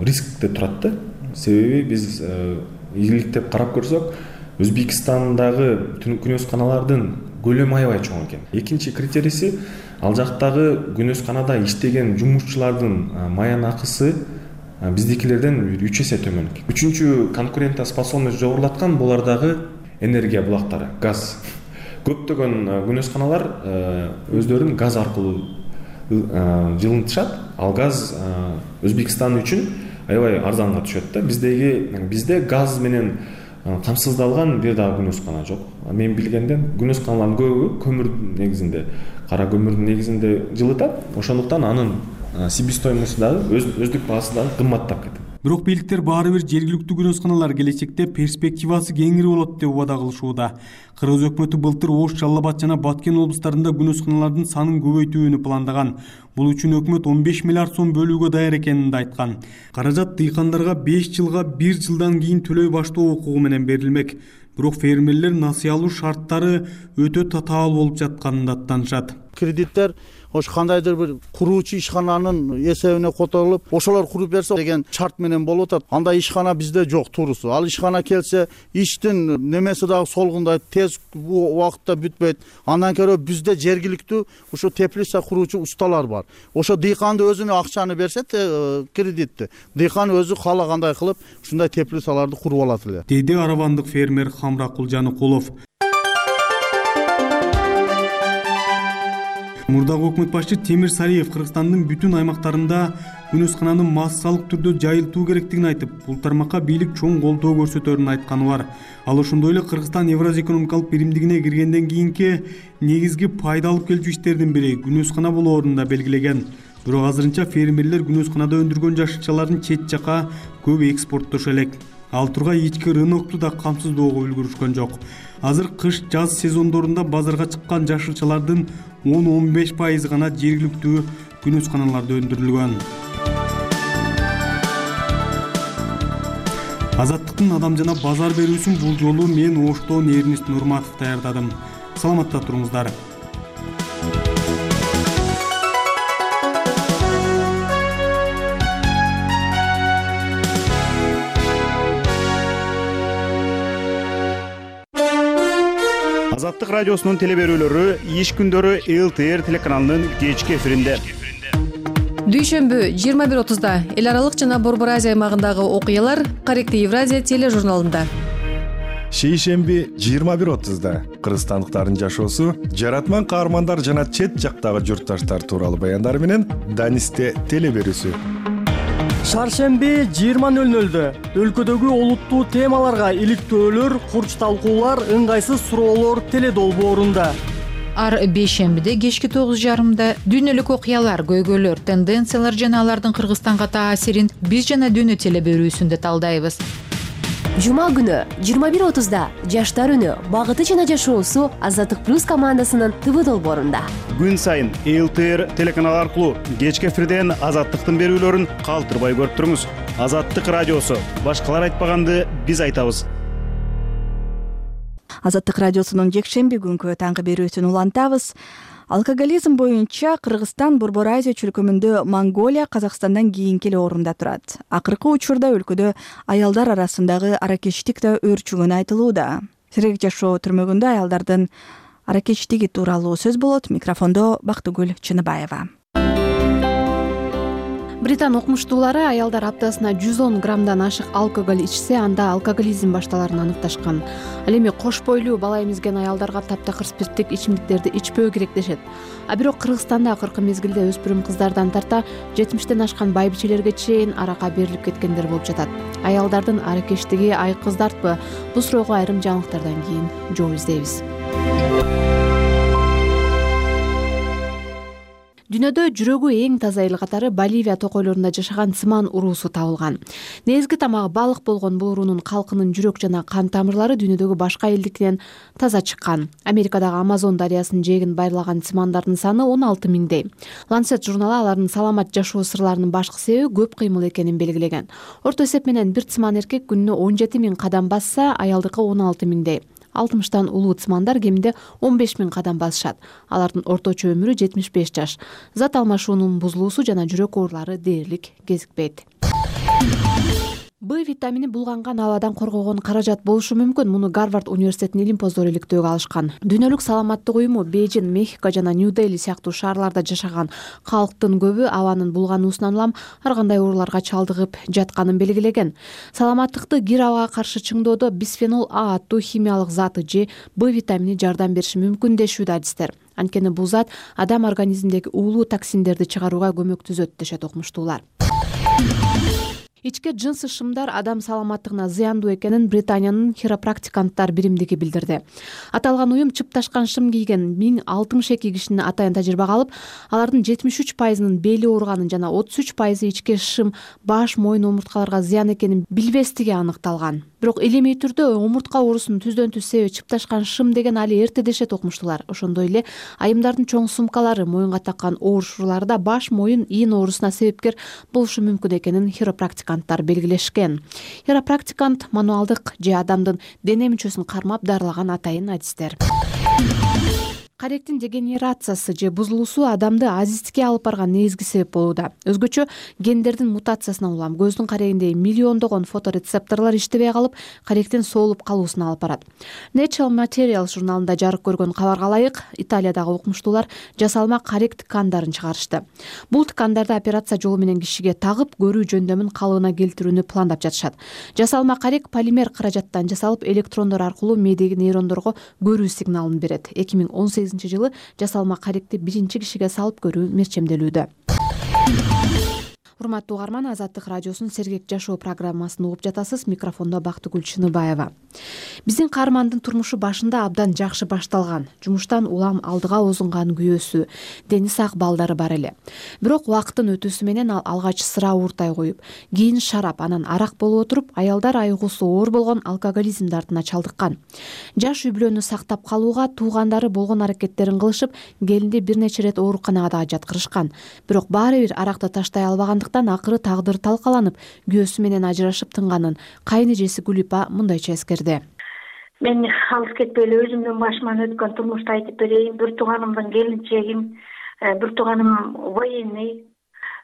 рискте турат да. Себеби биз ийгиликтеп карап көрсөк, Өзбекстандагы күнөсканалардын көлөмү аябай чоң экен. Экинчи критерийси, ал жактагы күнөсканада иштеген жумушчулардын маян акысы биздикилерден бир үч эсе төмөн. Үчүнчү конкурентоспособность жогорулаткан булардагы энергия булактары, газ. Көптөгөн күнөсканалар өздөрүн газ аркылуу жылынтышат. Ал газ Өзбекстан үчүн аябай арзанга түшөт да. Биздеги бизде газ менен камсыздалган бир дагы күнөскана жок. Мен билгенден күнөсканалардын көбү көмүр негизинде, кара көмүрдүн негизинде жылытат. Ошондуктан анын себестоимости дагы өздүк баасы дагы кымбаттап кетет. Бирок бийликтер баары бир жергиликтүү күнөсканалар келечекте перспективасы кеңири болот деп убада кылышууда. Кыргыз өкмөтү былтыр Ош, Жалал Абад жана Баткен облустарында күнөсканалардын санын көбөйтүүнү пландаган. Бул үчүн өкмөт он беш миллиард сом бөлүүгө даяр экенин да айткан. Каражат дыйкандарга беш жылга бир жылдан кийин төлөй баштоо укугу менен берилмек. Бирок фермерлер насыя алуу шарттары өтө татаал болуп жатканын да аттанышат. Кредиттер ош кандайдыр бир куруучу ишкананын эсебине которулуп, ошолор куруп берсе деген шарт менен болуп атат. Андай ишкана бизде жок туурусу. Ал ишкана келсе, иштин немеси дагы солгундайт, тез убакытта бүтпөйт. Андан көрө бизде жергиликтүү ушу теплица куруучу усталар бар. Ошо дыйканды өзүнө акчаны берсе, кредитти, дыйкан өзү каалагандай кылып ушундай теплицаларды куруп алат эле. Деди аравандык фермер Хамракул Жаныкулов. Мурдагы өкмөт башчы Темир Сариев Кыргызстандын бүтүн аймактарында күнөскананын массалык түрдө жайылтуу керектигин айтып, бул тармакка бийлик чоң колдоо көрсөтөрүн айтканы бар. Ал ошондой эле Кыргызстан Евразия экономикалык биримдигине киргенден кийинки негизги пайда алып келчү иштердин бири күнөскана болоорун да белгилеген. Бирок азырынча фермерлер күнөсканада өндүргөн жашылчаларын чет жака көп экспорттошу элек. Ал тургай ички рынокту да камсыздоого үлгүрүшкөн жок. Азыр кыш-жаз сезондорунда базарга чыккан жашылчалардын он он беш пайызы гана жергиликтүү күнөсканаларда өндүрүлгөн. Азаттыктын адам жана базар берүүсүн бул жолу мен Оштон Эрнест Нурматов даярдадым. Саламатта туруңуздар. Азаттык радиосунун телеберүүлөрү иш күндөрү эл тэ эр телеканалынын кечки эфиринде. Дүйшөмбү жыйырма бир отузда эл аралык жана Борбор Азия аймагындагы окуялар Корректив Евразия тележурналында. Шейшемби жыйырма бир отузда кыргызстандыктардын жашоосу, жаратман каармандар жана чет жактагы журтташтар тууралуу баяндар менен Данисте телеберүүсү. Шаршемби жыйырма нөл нөлдө өлкөдөгү олуттуу темаларга иликтөөлөр, курч талкуулар, ыңгайсыз суроолор теледолбоорунда. Ар бейшембиде кечки тогуз жарымда дүйнөлүк окуялар, көйгөйлөр, тенденциялар жана алардын Кыргызстанга таасирин биз жана дүйнө телеберүүсүндө талдайбыз. Жума күнү жыйырма бир отузда жаштар үнү, багыты жана жашоосу Азаттык плюс командасынын тэ вэ долбоорунда. Күн сайын эл тэ эр телеканалы аркылуу кечки эфирден Азаттыктын берүүлөрүн калтырбай көрүп туруңуз. Азаттык радиосу, башкалар айтпаганды биз айтабыз. Азаттык радиосунун жекшемби күнкү таңкы берүүсүн улантабыз. Алкоголизм боюнча Кыргызстан Борбор Азия чөлкөмүндө Монголия Казакстандан кийинки эле орунда турат. Акыркы учурда өлкөдө аялдар арасындагы аракечтик да өөрчүгөнү айтылууда. Сирек жашоо түрмөгүндө аялдардын аракечтиги тууралуу сөз болот. Микрофондо Бактыгүл Чыныбаева. Британ окумуштуулары аялдар аптасына жүз он граммдан ашык алкоголь ичсе, анда алкоголизм башталарын аныкташкан. Ал эми кош бойлуу бала эмизген аялдарга таптакыр спирттик ичимдиктерди ичпөө керек дешет. А бирок Кыргызстанда акыркы мезгилде өспүрүм кыздардан тарта жетимиштен ашкан байбичелерге чейин аракка берилип кеткендер болуп жатат. Аялдардын аракечтиги айкыздартпы? Бул суроого айрым жаңылыктардан кийин жооп издейбиз. Дүйнөдө жүрөгү эң таза эл катары Боливия токойлорунда жашаган цыман уруусу табылган. Негизги тамагы балык болгон бул уруунун калкынын жүрөк жана кан тамырлары дүйнөдөгү башка элдикинен таза чыккан. Америкадагы Амазон дарыясынын жээгин байырлаган цымандардын саны он алты миңдей. Lancet журналы алардын саламат жашоо сырларынын башкы себеби көп кыймыл экенин белгилеген. Орто эсеп менен бир цыман эркек күнүнө он жети миң кадам басса, аялдыкы он алты миңдей. алтымыштан улуу цымандар кеминде он беш миң кадам басышат. Алардын орточо өмүрү жетимиш беш жаш. Зат алмашуунун бузулуусу жана жүрөк оорулары дээрлик кезикпейт. Б витамини булганган абадан коргогон каражат болушу мүмкүн. Муну Гарвард университетинин илимпоздору иликтөөгө алышкан. Дүйнөлүк саламаттык уюму Бейжин, Мехико жана Нью-Дели сыяктуу шаарларда жашаган калктын көбү абанын булгануусунан улам ар кандай ооруларга чалдыгып жатканын белгилеген. Саламаттыкты кир абага каршы чыңдоодо бисфенол А аттуу химиялык заты же Б витамини жардам бериши мүмкүн дешүүдө адистер. Анткени бул зат адам организминдеги уулуу токсиндерди чыгарууга көмөктөзөт дешет окумуштуулар. Ичке жынсы шымдар адам саламаттыгына зыяндуу экенин Британиянын хиропрактиканттар биримдиги билдирди. Аталган уюм чыпташкан шым кийген миң алтымыш эки кишини атайын тажрыйбага алып, алардын жетимиш үч пайызынын бели ооруганын жана отуз үч пайызы ичке шым баш, мойын омурткаларга зыян экенин билбестиги аныкталган. Бирок илимий түрдө омуртка оорусунун түздөн түз себеби чыпташкан шым деген али эрте дешет окумуштуулар. Ошондой эле айымдардын чоң сумкалары, моюнга таккан оорушуулары да баш, моюн, ийин оорусуна себепкер болушу мүмкүн экенин хиропрактиканттар белгилешкен. Хиропрактикант мануалдык же адамдын дене мүчөсүн кармап дарылаган атайын адистер. Каректин дегенерациясы же бузулуусу адамды азиздикке алып барган негизги себеп болууда. Өзгөчө гендердин мутациясынан улам көздүн карегиндеги миллиондогон фоторецепторлор иштебей калып, каректин соолуп калуусуна алып барат. Nature Materials журналында жарык көргөн кабарга ылайык, Италиядагы окумуштуулар жасалма карект ткандарын чыгарышты. Бул ткандарды операция жолу менен кишиге тагып, көрүү жөндөмүн калыбына келтирүүнү пландап жатышат. Жасалма карек полимер каражаттан жасалып, электрондор аркылуу мээдеги нейрондорго көрүү сигналын берет. эки миң он сегизинчи жылы жасалма каректи биринчи кишиге салып көрүү мерчемделүүдө. Урматтуу угарман, Азаттык радиосунун Сергек жашоо программасын угуп жатасыз. Микрофондо Бактыгүл Чыныбаева. Биздин каармандын турмушу башында абдан жакшы башталган. Жумуштан улам алдыга озунган күйөөсү, дени сак балдары бар эле. Бирок убакыттын өтүүсү менен ал алгач сыра ууртай коюп, кийин шарап, анан арак болуп отуруп, аялдар айгуусу оор болгон алкоголизм дартына чалдыккан. Жаш үй бүлөнү сактап калууга туугандары болгон аракеттерин кылышып, келинди бир нече ирет ооруканага да жаткырышкан. Бирок баары бир аракты таштай албагандыктан акыры тагдыр талкаланып, күйөөсү менен ажырашып тынганын кайын эжеси Гүлипа мындайча эскерди. Мен алыс кетпей эле өзүмдүн башыман өткөн турмушту айтып берейин. Бир тууганымдын келинчегим, бир тууганым военный,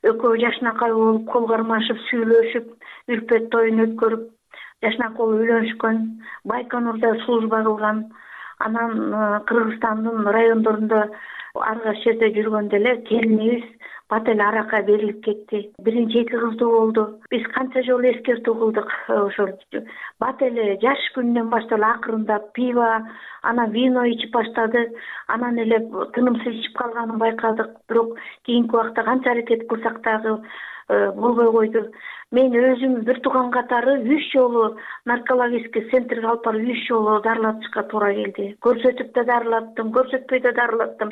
экөө жашнакай болуп, кол кармашып, сүйлөшүп, үлпөт тоюн өткөрүп, жашнакай үйлөнүшкөн, Байконурда служба кылган. Анан Кыргызстандын райондорунда ар кайсы жерде жүргөндө эле келинибиз бат эле аракка берилип кетти. Биринчи эки кыздуу болду. Биз канча жолу эскертүү кылдык. Ошол бат эле жаш күнүнөн баштап акырындап пиво, анан вино ичип баштады. Анан эле тынымсыз ичип калганын байкадык. Бирок кийинки убакта канча аракет кылсак дагы болбой койду. Мен өзүм бир тууган катары үч жолу наркологический центрге алып барып үч жолу дарылатышка туура келди. Көрсөтүп да дарылаттым, көрсөтпөй да дарылаттым.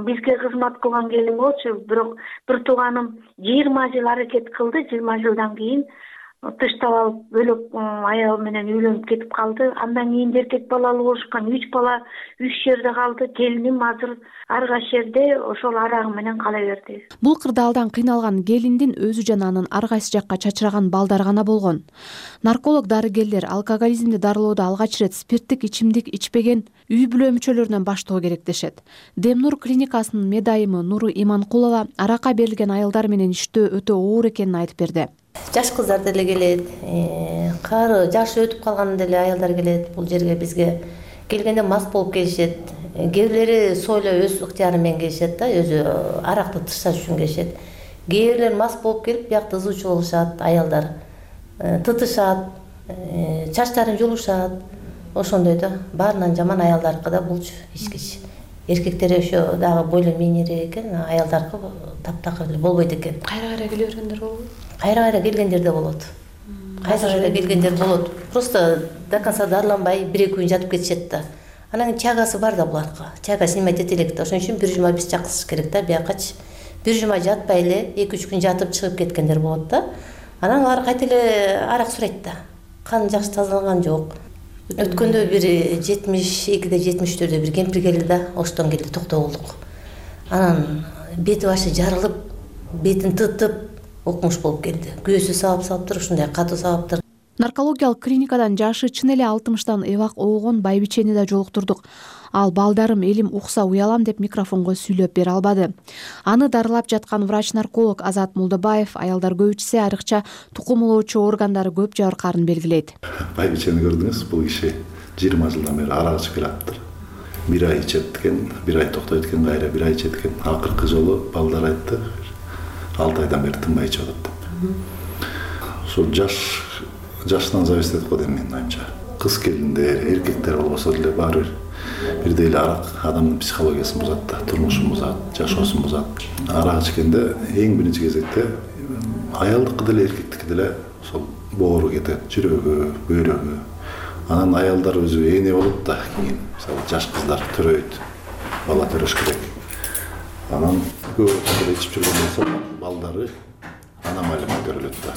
Бизге кызмат кылган келин болчу, бирок бир тууганым жыйырма жыл аракет кылды, жыйырма жылдан кийин тыштап алып бөлөк аял менен үйлөнүп кетип калды. Андан кийин эркек балалуу болушкан, үч бала үч жерде калды. Келиним азыр ар кайсы жерде ошол арагы менен кала берди. Бул кырдаалдан кыйналган келиндин өзү жана анын ар кайсы жакка чачыраган балдары гана болгон. Нарколог дарыгерлер алкоголизмди дарылоодо алгач ирет спирттик ичимдик ичпеген үй бүлө мүчөлөрүнөн баштоо керек дешет. Демнур клиникасынын медайымы Нуру Иманкулова аракка берилген аялдар менен иштөө өтө оор экенин айтып берди. Жаш кыздар деле келет, кары жашы өтүп калган деле аялдар келет. Бул жерге бизге келгенде мас болуп келишет. Кээ бирлери сойло өз ыктыяры менен келишет да, өзү аракты тышташ үчүн келишет. Кээ бирлер мас болуп келип, биякта ызуучу болушат, аялдар тытышат, чачтарын жулушат. Ошондой да, баарынан жаман аялдаркы да булчу ичкич. Эркектер ошо дагы бойло мийнирээк экен, аялдаркы таптакыр деле болбойт экен. Кайра-кайра келе бергендер болобу? Кайра-кайра келгендер да болот. Кайра-кайра келгендер болот. Просто до конца дарыланбай бир-эки күн жатып кетишет да. Анан чагасы бар да буларга. Чага снимать эте элек да. Ошон үчүн бир жума биз чакырыш керек да, биякачы. Бир жума жатпай эле эки үч күн жатып чыгып кеткендер болот да. Анан алар кайта эле арак сурайт да. Кан жакшы тазаланган жок. Өткөндө бир жетимиш экиде жетимиш төрттө бир кемпир келди да, Оштон келди, токтоо болдук. Анан бети башы жарылып, бетин тытып, окмуш болуп келди. Күйөөсү сабап салыптыр, ушундай катуу сабаптыр. наркологиялык клиникадан жашы чын эле алтымыштан эбак оогон байбичени да жолуктурдук. Ал балдарым элим укса уялам деп микрофонго сүйлөп бере албады. Аны дарылап жаткан врач-нарколог Азат Мулдабаев аялдар көп ичсе айрыкча тукумулоочу органдары көп жабыркаарын белгилейт. Байбичени көрдүңүз, бул киши жыйырма жылдан бери арак ичип келаптыр. Бир ай ичет экен, бир ай токтойт экен, кайра бир ай ичет экен. Акыркы жолу балдар айтты, алты айдан бери тынбай ичип атат деп. Ошол жаш жаштан зависит этип коет менин оюмча. Кыз келиндер, эркектер болбосо деле баары бир бирдей эле арак адамдын психологиясын бузат да, турмушун бузат, жашоосун бузат. Арак ичкенде эң биринчи кезекте аялдыкы деле эркектики деле ошол боору кетет, жүрөгү, бөйрөгү. Анан аялдар өзү эне болот да, кийин мисалы жаш кыздар төрөйт, бала төрөш керек. Анан көп эле ичип жүргөн болсо балдары аномалия көрүлөт да.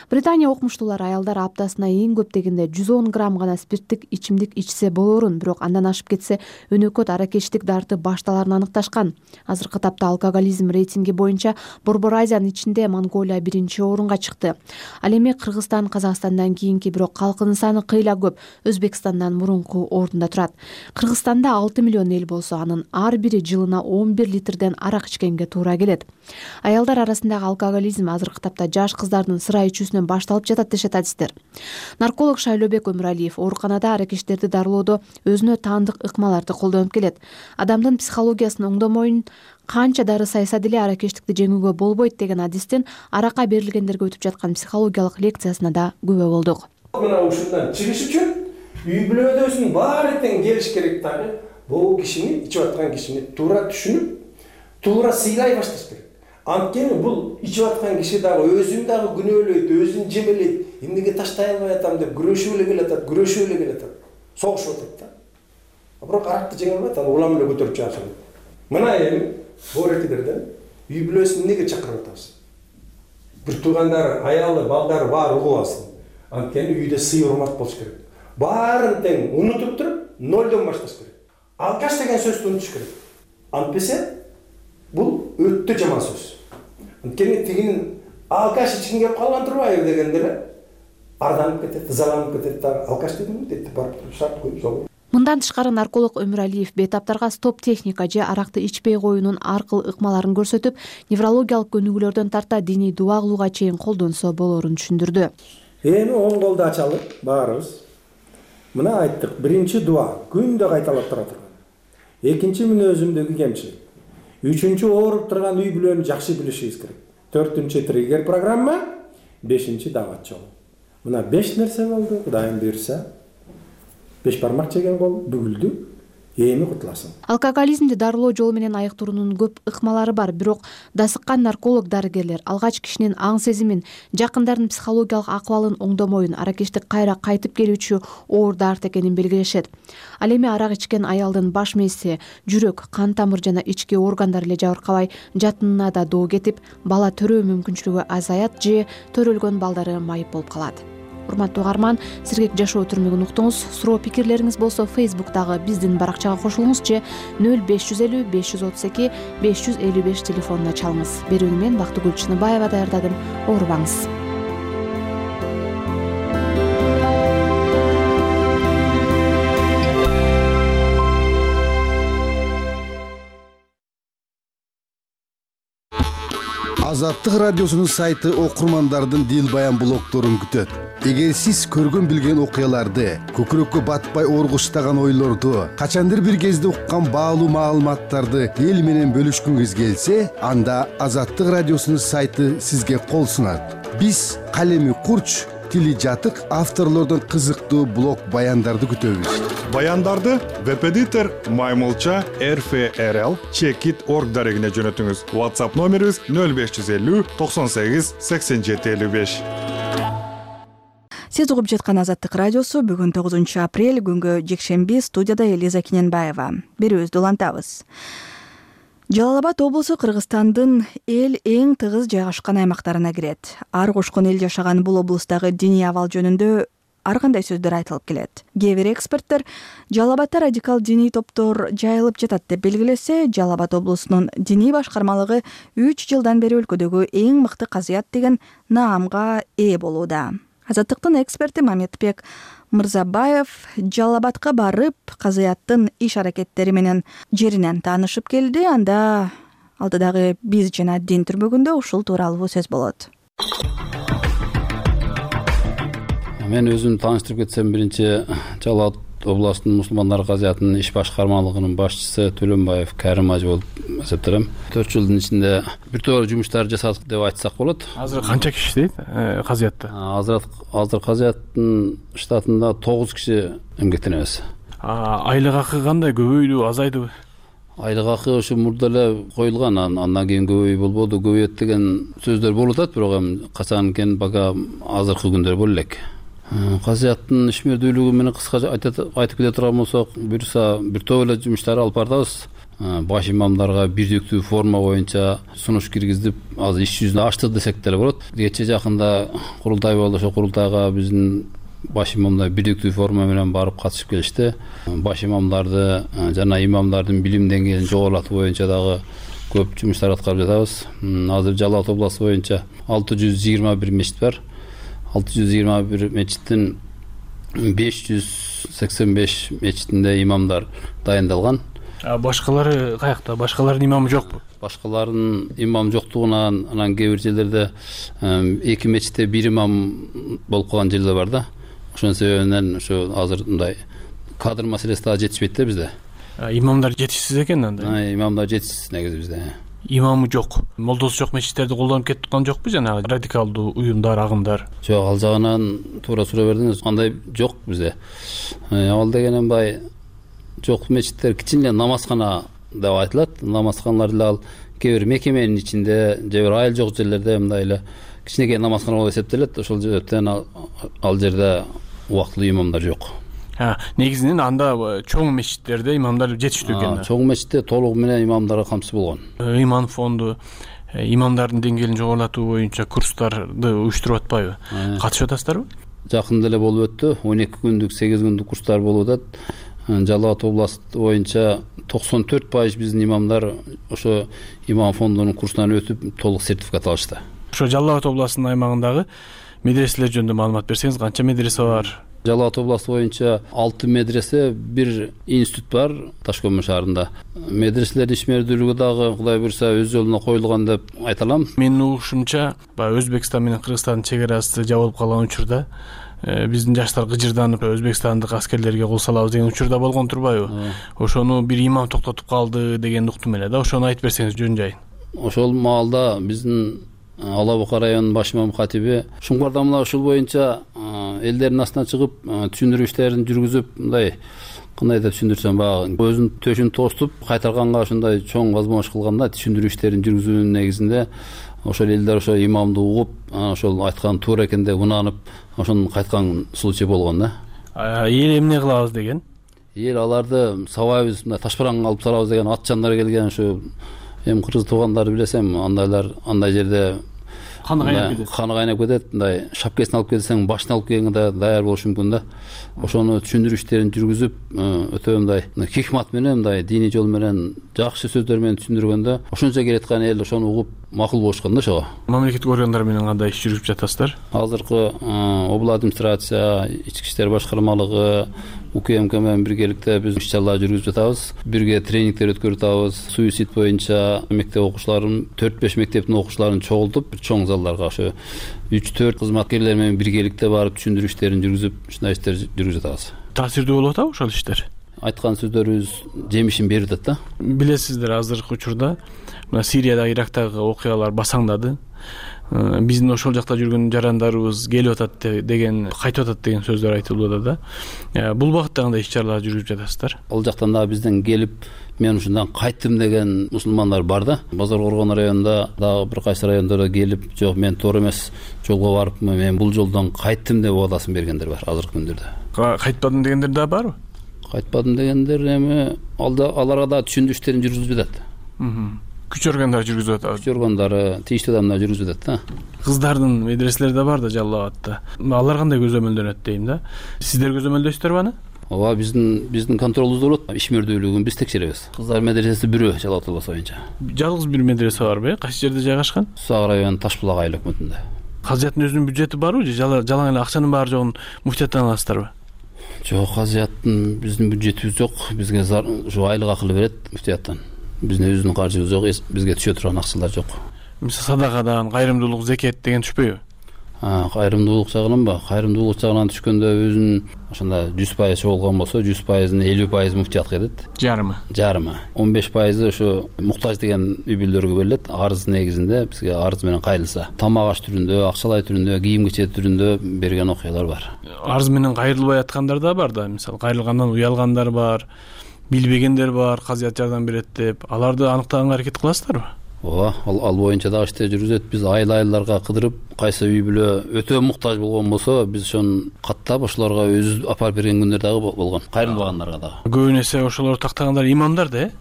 Британия окумуштуулары аялдар аптасына эң көп дегенде жүз он грамм гана спирттик ичимдик ичсе болорун, бирок андан ашып кетсе өнөкөт аракечтик дарты башталарын аныкташкан. Азыркы тапта алкоголизм рейтинги боюнча Борбор Азиянын ичинде Монголия биринчи орунга чыкты. Ал эми Кыргызстан Казакстандан кийинки, бирок калкынын саны кыйла көп, Өзбекстандан мурунку орунда турат. Кыргызстанда алты миллион эл болсо, анын ар бири жылына он бир литрден арак ичкенге туура келет. Аялдар арасындагы алкоголизм азыркы тапта жаш кыздардын сыра ичүүсүнөн башталып жатат дешет адистер. Нарколог Шайлообек Өмүралиев ооруканада аракечтерди дарылоодо өзүнө таандык ыкмаларды колдонуп келет. Адамдын психологиясын оңдомоюн канча дары сайса деле аракечтикти жеңүүгө болбойт деген адистин аракка берилгендерге өтүп жаткан психологиялык лекциясына да күбө болдук. Мына ушундан чыгыш үчүн үй бүлөдөсүн баары тең келиш керек дагы. Бул кишини, ичип аткан кишини туура түшүнүп, туура сыйлай башташ керек. Анткени бул ичип аткан киши дагы өзүн дагы күнөөлөйт, өзүн жемелейт. Эмнеге таштай албай атам деп күрөшүп эле келатат, күрөшүп эле келатат. Согушуп атат да. Бирок аракты жеңе албайт, аны улам эле көтөрүп чыгасың. Мына эми боорекилерден үй бүлөсүн эмнеге чакырып атабыз? Бир туугандары, аялы, балдары баары угуп алсын. Анткени үйдө сый урмат болуш керек. Баарын тең унутуп туруп, нолдон башташ керек. Алкаш деген сөздү унутуш керек. Антпесе бул өтө жаман сөз. Анткени тигинин алкаш ичкин кеп калган турбайбы дегенде эле арданып кетет, ызаланып кетет да, алкаш дедим дейт, барып шарт коюп жол. Мындан тышкары нарколог Өмүралиев бейтаптарга стоп техника же аракты ичпей коюунун аркыл ыкмаларын көрсөтүп, неврологиялык көнүгүүлөрдөн тарта диний дуа кылууга чейин колдонсо болорун түшүндүрдү. Эми оң колду ачалы баарыбыз. Мына айттык, биринчи дуа күндө кайталап тура турган. Экинчи мүнөзүмдөгү кемчилик. Үчүнчү ооруп турган үй бүлөнү жакшы билишибиз керек. Төртүнчү триггер программа, бешинчи дават жолу. Мына беш нерсе болду, Кудайым буйрса. Беш бармак жеген кол бүгүлдү. Эми кутуласың. Алкоголизмди дарылоо жолу менен айыктыруунун көп ыкмалары бар, бирок дасыккан нарколог дарыгерлер алгач кишинин аң сезимин, жакындардын психологиялык акыбалын оңдомоюн, аракечтик кайра кайтып келүүчү оор дарт экенин белгилешет. Ал эми арак ичкен аялдын баш мээси, жүрөк, кан тамыр жана ички органдар эле жабыркабай, жатынына да доо кетип, бала төрөө мүмкүнчүлүгү азаят же төрөлгөн балдары майып болуп калат. Урматтуу угарман, сиргек жашоо түрмөгүн уктуңуз. Суроо пикирлериңиз болсо Facebook'тагы биздин баракчага кошулуңуз же нөл беш жүз элүү беш жүз отуз эки беш жүз элүү беш телефонуна чалыңыз. Берүүнү мен Бактыгүл Чыныбаева даярдадым. Оорубаңыз. Азаттык радиосунун сайты окурмандардын дил баян блогдорун күтөт. Эгер сиз көргөн билген окуяларды, көкүрөккө батпай оргуштаган ойлорду, качандыр бир кезде уккан баалуу маалыматтарды эл менен бөлүшкүңүз келсе, анда Азаттык радиосунун сайты сизге кол сунат. Биз калеми курч, тили жатык авторлордон кызыктуу блог баяндарды күтөбүз. Баяндарды веб-эдитор Маймылча эр эф эр эл чекит точка орг дарегине жөнөтүңүз. WhatsApp номерибиз нөл беш жүз элүү токсон сегиз сексен жети элүү беш. Сиз угуп жаткан Азаттык радиосу бүгүн тогузунчу апрель күнгө жекшемби, студияда Элиза Киненбаева. Берүүбүздү улантабыз. Жалал Абад облусу Кыргызстандын эл эң тыгыз жайгашкан аймактарына кирет. Ар кошкон эл жашаган бул облустагы диний абал жөнүндө ар кандай сөздөр айтылып келет. Кээ бир эксперттер Жалал Абадда радикал диний топтор жайылып жатат деп белгилесе, Жалал Абад облусунун диний башкармалыгы үч жылдан бери өлкөдөгү эң мыкты казыят деген наамга ээ болууда. Азаттыктын эксперти Маметбек Мырзабаев Жалал Абадка барып, казыяттын иш аракеттери менен жеринен таанышып келди. Анда алдыдагы биз жана дин түрмөгүндө ушул тууралуу сөз болот. Мен өзүм тааныштырып кетсем, биринчи Жалал Абад областынын мусулмандар казыятынын иш башкармалыгынын башчысы Төлөнбаев Кәрим ажы болуп эсептелем. төрт жылдын ичинде бир топ жумуштар жасадык деп айтсак болот. Азыр канча киши иштейт казыятта? Азыр азыр казыяттын штатында тогуз киши эмгектенебиз. Айлык акы кандай, көбөйдүбү, азайдыбы? Айлык акы ошо мурда эле коюлган, андан кийин көбөй болбоду, көбөйөт деген сөздөр болуп атат, бирок эми качан экен бага азыркы күндөр боло элек. Казыяттын ишмердүүлүгү менен кыска айтып кете турган болсок, буюрса бир топ эле жумуштар алып бардыбыз. Баш имамдарга бирдиктүү форма боюнча сунуш киргизип, азыр иш жүзүнө ачтык десек деле болот. Кечээ жакында курултай болду, ошо курултайга биздин баш имамдар бирдиктүү форма менен барып катышып келишти. Баш имамдарды жана имамдардын билим деңгээлин жогорулатуу боюнча дагы көп жумуштар аткарып жатабыз. Азыр Жалал Абад областы боюнча алты жүз жыйырма бир мечит бар. алты жүз жыйырма бир мечиттин беш жүз сексен беш мечитинде имамдар дайындалган. А башкалары каякта? Башкалардын имамы жокпу? Башкалардын имам жоктугунан анан кээ бир жерлерде эки мечитте бир имам болуп калган жерлер бар да. Ошонун себебинен ошо азыр мындай кадр маселеси дагы жетишпейт да бизде. Имамдар жетишсиз экен анда? Имамдар жетишсиз негизи бизде. Имамы жок, молдосу жок мечиттерди колдонуп кетип аткан жокпу, жанагы радикалдуу уюмдар, агымдар? Жок, ал жагынан туура суроо бердиңиз. Андай жок бизде. Ал дегенен бай жок мечиттер кичине намазкана деп айтылат. Намазканалар деле ал кээ бир мекеменин ичинде, же бир айыл жок жерлерде мындай эле кичинекей намазкана болуп эсептелет. Ошол себептен ал жерде убактылуу имамдар жок. Негизинен анда чоң мечиттерде имамдар жетиштүү экен. Чоң мечитте толугу менен имамдарга камсыз болгон. Иман фонду имамдардын деңгээлин жогорулатуу боюнча курстарды уюштуруп атпайбы? Катышып атасыздарбы? Жакында эле болуп өттү. он эки күндүк, сегиз күндүк курстар болуп атат. Жалал Абад областы боюнча токсон төрт пайыз биздин имамдар ошо имам фондунун курсунан өтүп, толук сертификат алышты. Ошо Жалал Абад областынын аймагындагы медреселер жөнүндө маалымат берсеңиз, канча медресе бар? Жалал Абад областы боюнча алты медресе, бир институт бар Ташкөмүр шаарында. Медреселердин ишмердүүлүгү дагы Кудай буйрса өз жолуна коюлган деп айта алам. Менин угушумча, баягы Өзбекстан менен Кыргызстандын чек арасы жабылып калган учурда биздин жаштар гыжырданып өзбекстандык аскерлерге кол салабыз деген учурда болгон турбайбы? Ошону бир имам токтотуп калды деген уктум эле да. Ошону айтып берсеңиз жөн жайын. Ошол маалда биздин Ала Бука районунун баш имам катиби Шуңкарда мына ушул боюнча элдердин астына чыгып түшүндүрүү иштерин жүргүзүп, мындай кандай деп түшүндүрсөм, баягы өзүнүн төшүн тоступ кайтарганга ушундай чоң возможность кылган да, түшүндүрүү иштерин жүргүзүүнүн негизинде ошол элдер ошо имамды угуп, ошол айткан туура экен деп ынанып, ошону кайткан случай болгон да. Эл эмне кылабыз деген? Эл аларды сабайбыз, мындай ташбараң алып салабыз деген ат жандар келген, ошо эми кыргыз туугандарды билесем, андайлар андай жерде каны кайнап кетет. Каны кайнап кетет, мындай шапкасын алып келсең, башын алып келгенге даяр болушу мүмкүн да. Ошону түшүндүрүү иштерин жүргүзүп, өтө мындай хикмат менен, мындай диний жол менен, жакшы сөздөр менен түшүндүргөндө, ошончо келаткан эл ошону угуп макул болушкан да ошого. Мамлекеттик органдар менен кандай иш жүргүзүп жатасыздар? Азыркы обла администрация, ички иштер башкармалыгы, УКМК менен биргеликте биз иш чаралар жүргүзүп жатабыз. Бирге тренингдер өткөрүп атабыз. Суицид боюнча мектеп окуучуларын, төрт беш мектептин окуучуларын чогултуп, чоң залдарга ошо үч төрт кызматкерлер менен биргеликте барып түшүндүрүү иштерин жүргүзүп, ушундай иштер жүргүзүп атабыз. Таасирдүү болуп атабы ошол иштер? Айткан сөздөрүбүз жемишин берип атат да. Билесиздер, азыркы учурда мына Сирияда, Ирактагы окуялар басаңдады. Биздин ошол жакта жүргөн жарандарыбыз келип атат деген, кайтып атат деген сөздөр айтылып атат да. Бул багытта кандай иш чаралар жүргүзүп жатасыздар? Ал жактан дагы бизден келип, мен ушундан кайттым деген мусулмандар бар да. Базар Коргон районунда дагы бир кайсы райондордо келип, жок мен туура эмес жолго барыпмын, мен бул жолдон кайттым деп убадасын бергендер бар азыркы күндөрдө. Кайтпадым дегендер да барбы? Кайтпадым дегендер эми аларга да түшүндүрүү иштерин жүргүзүп жатат. Күч органдары жүргүзүп атат. Күч органдары, тийиштүү адамдар жүргүзүп атат да. Кыздардын медреселери да бар да Жалал Абадта. Алар кандай көзөмөлдөнөт дейм да. Сиздер көзөмөлдөйсүздөрбү аны? Ооба, биздин биздин контролубузда болот. Ишмердүүлүгүн биз текшеребиз. Кыздар медресеси бирөө Жалал Абад областы боюнча. Жалгыз бир медресе барбы? Кайсы жерде жайгашкан? Сак район Ташбулак айыл өкмөтүндө. казыяттын өзүнүн бюджети барбы же жалаң эле акчанын баары жогун муфтияттан аласыздарбы? Жок, казыяттын биздин бюджетибиз жок. Бизге ушу айлык акылы берет муфтияттан. Биздин өзүнүн каржыбыз жок, бизге түшө турган акчалар жок. Мисалы садакадан, кайрымдуулук, зекет деген түшпөйбү? Кайрымдуулук жагынан ба? Кайрымдуулук жагынан түшкөндө өзүнүн ошондо жүз пайыз чогулган болсо, жүз пайыздын элүү пайызы муфтиятка кетет. Жарымы? Жарымы. он беш пайызы ошо муктаж деген үй бүлөлөргө берилет. Арыз негизинде бизге арыз менен кайрылса, тамак аш түрүндө, акчалай түрүндө, кийим кечек түрүндө берген окуялар бар. Арыз менен кайрылбай аткандар да бар да. Мисалы кайрылгандан уялгандар бар, билбегендер бар, казыят жардам берет деп. Аларды аныктаганга аракет кыласыздарбы? Ооба, ал боюнча дагы иштер жүргүзөт. Биз айыл-айылдарга кыдырып, кайсы үй бүлө өтө муктаж болгон болсо, биз ошону каттап ошолорго өзүбүз апарып берген күндөр дагы болгон. Кайрылбагандарга дагы. Көбүн эсе ошолор тактагандар имамдар да, э?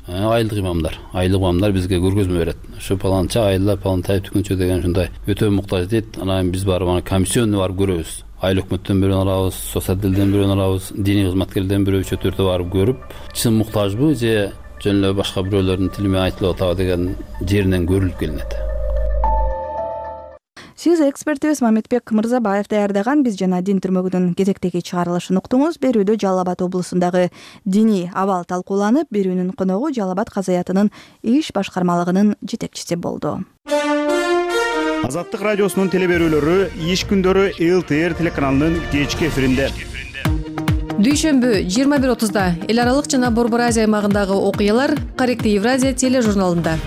Айылдык имамдар. Айылдык имамдар бизге көргөзмө берет. Ушу паланча айылда палантай түкүнчө деген ушундай өтө муктаж дейт. Анан биз барып аны комиссионный барып көрөбүз. Айыл өкмөттөн бирөөнү алабыз, соцотделден бирөөнү алабыз, диний кызматкерлерден бирөө үчөө төртөө барып көрүп, чын муктажбы же жөн эле башка бирөөлөрдүн тили менен айтылып атабы деген жеринен көрүлүп келинет. Сиз экспертибиз Мамедбек Мырзабаев даярдаган «Биз жана дин» түрмөгүнүн кезектеги чыгарылышын уктуңуз. Берүүдө Жалал Абад облусундагы диний абал талкууланып, берүүнүн коногу Жалал Абад казаятынын иш башкармалыгынын жетекчиси болду. Азаттык радиосунун телеберүүлөрү иш күндөрү эл тэ эр телеканалынын кечки эфиринде. Дүйшөмбү жыйырма бир отузда эл аралык жана Борбор Азия аймагындагы окуялар Корректив Евразия тележурналында.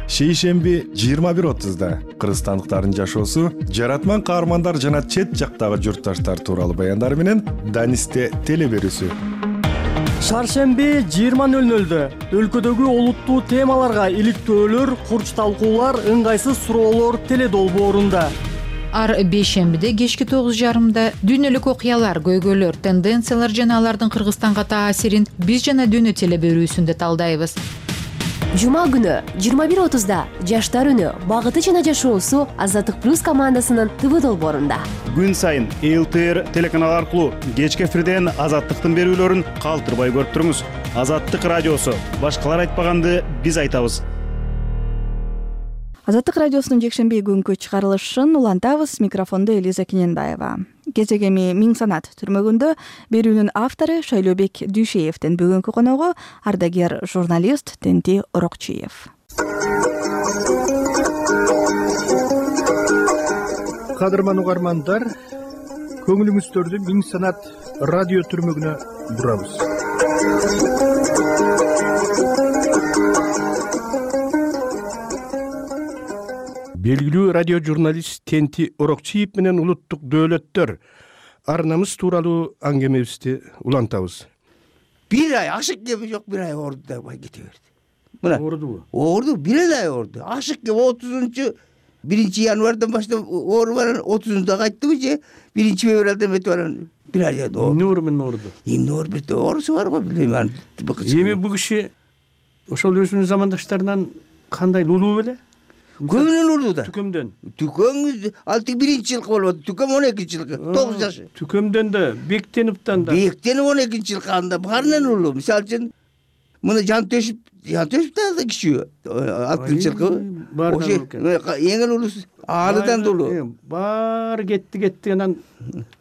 Шейшемби жыйырма бир отузда кыргызстандыктардын жашоосу, жаратман каармандар жана чет жактагы журтташтар тууралуу баяндар менен Данисте телеберүүсү. Шаршемби жыйырма нөл нөлдө өлкөдөгү олуттуу темаларга иликтөөлөр, курч талкуулар, ыңгайсыз суроолор теледолбоорунда. Ар бейшембиде кечки тогуз жарымда дүйнөлүк окуялар, көйгөйлөр, тенденциялар жана алардын Кыргызстанга таасирин «Биз жана дүйнө» телеберүүсүндө талдайбыз. Жума күнү жыйырма бир отузда Жаштар үнү багыты жана жашоосу Азаттык плюс командасынын ТВ долбоорунда. Күн сайын эл тэ эр телеканалы аркылуу кечки эфирден Азаттыктын берүүлөрүн калтырбай көрүп туруңуз. Азаттык радиосу. Башкалар айтпаганды биз айтабыз. Азаттык радиосунун жекшемби күнкү чыгарылышын улантабыз. Микрофондо Элиза Киненбаева. Кезегеми Миң Санат түрмөгүндө берүүнүн автору Шайлообек Дүйшеевдин бүгүнкү коногу ардагер журналист Тенти Орокчиев. Кадырман угармандар, көңүлүңүздөрдү Миң Санат радио түрмөгүнө бурабыз. Белгилүү радио журналист Тенти Орокчиев менен улуттук дөөлөттөр ар намыс тууралуу аңгемебизди улантабыз. Бир ай ашык кеби жок, бир ай оорду да кете берди. Мына оордубу? Оорду, бир ай оорду. Ашык кеп отузунчу биринчи январдан баштап оору баран отузунда кайттыбы же биринчи февралдан бери баран бир ай оорду. Эмне оору менен оорду? Эмне оору бир оорусу бар го, билбейм. Эми бул киши ошол өзүнүн замандаштарынан кандай лулуу беле? Көбүнөн урду да. Түкөмдөн. Түкөм алтı биринчи жылкы болот. Түкөм он экинчи жылкы. тогуз жаш. Түкөмдөн да, Бектеновдон да. Бектенов он экинчи жылкы анда баарынан улуу. Мисалы үчүн муну Жантөшүп, Жантөшүп да кичүү. алтынчы жылкы. Ошо эң эле улуусу Ааныдан да улуу. Баары кетти кетти анан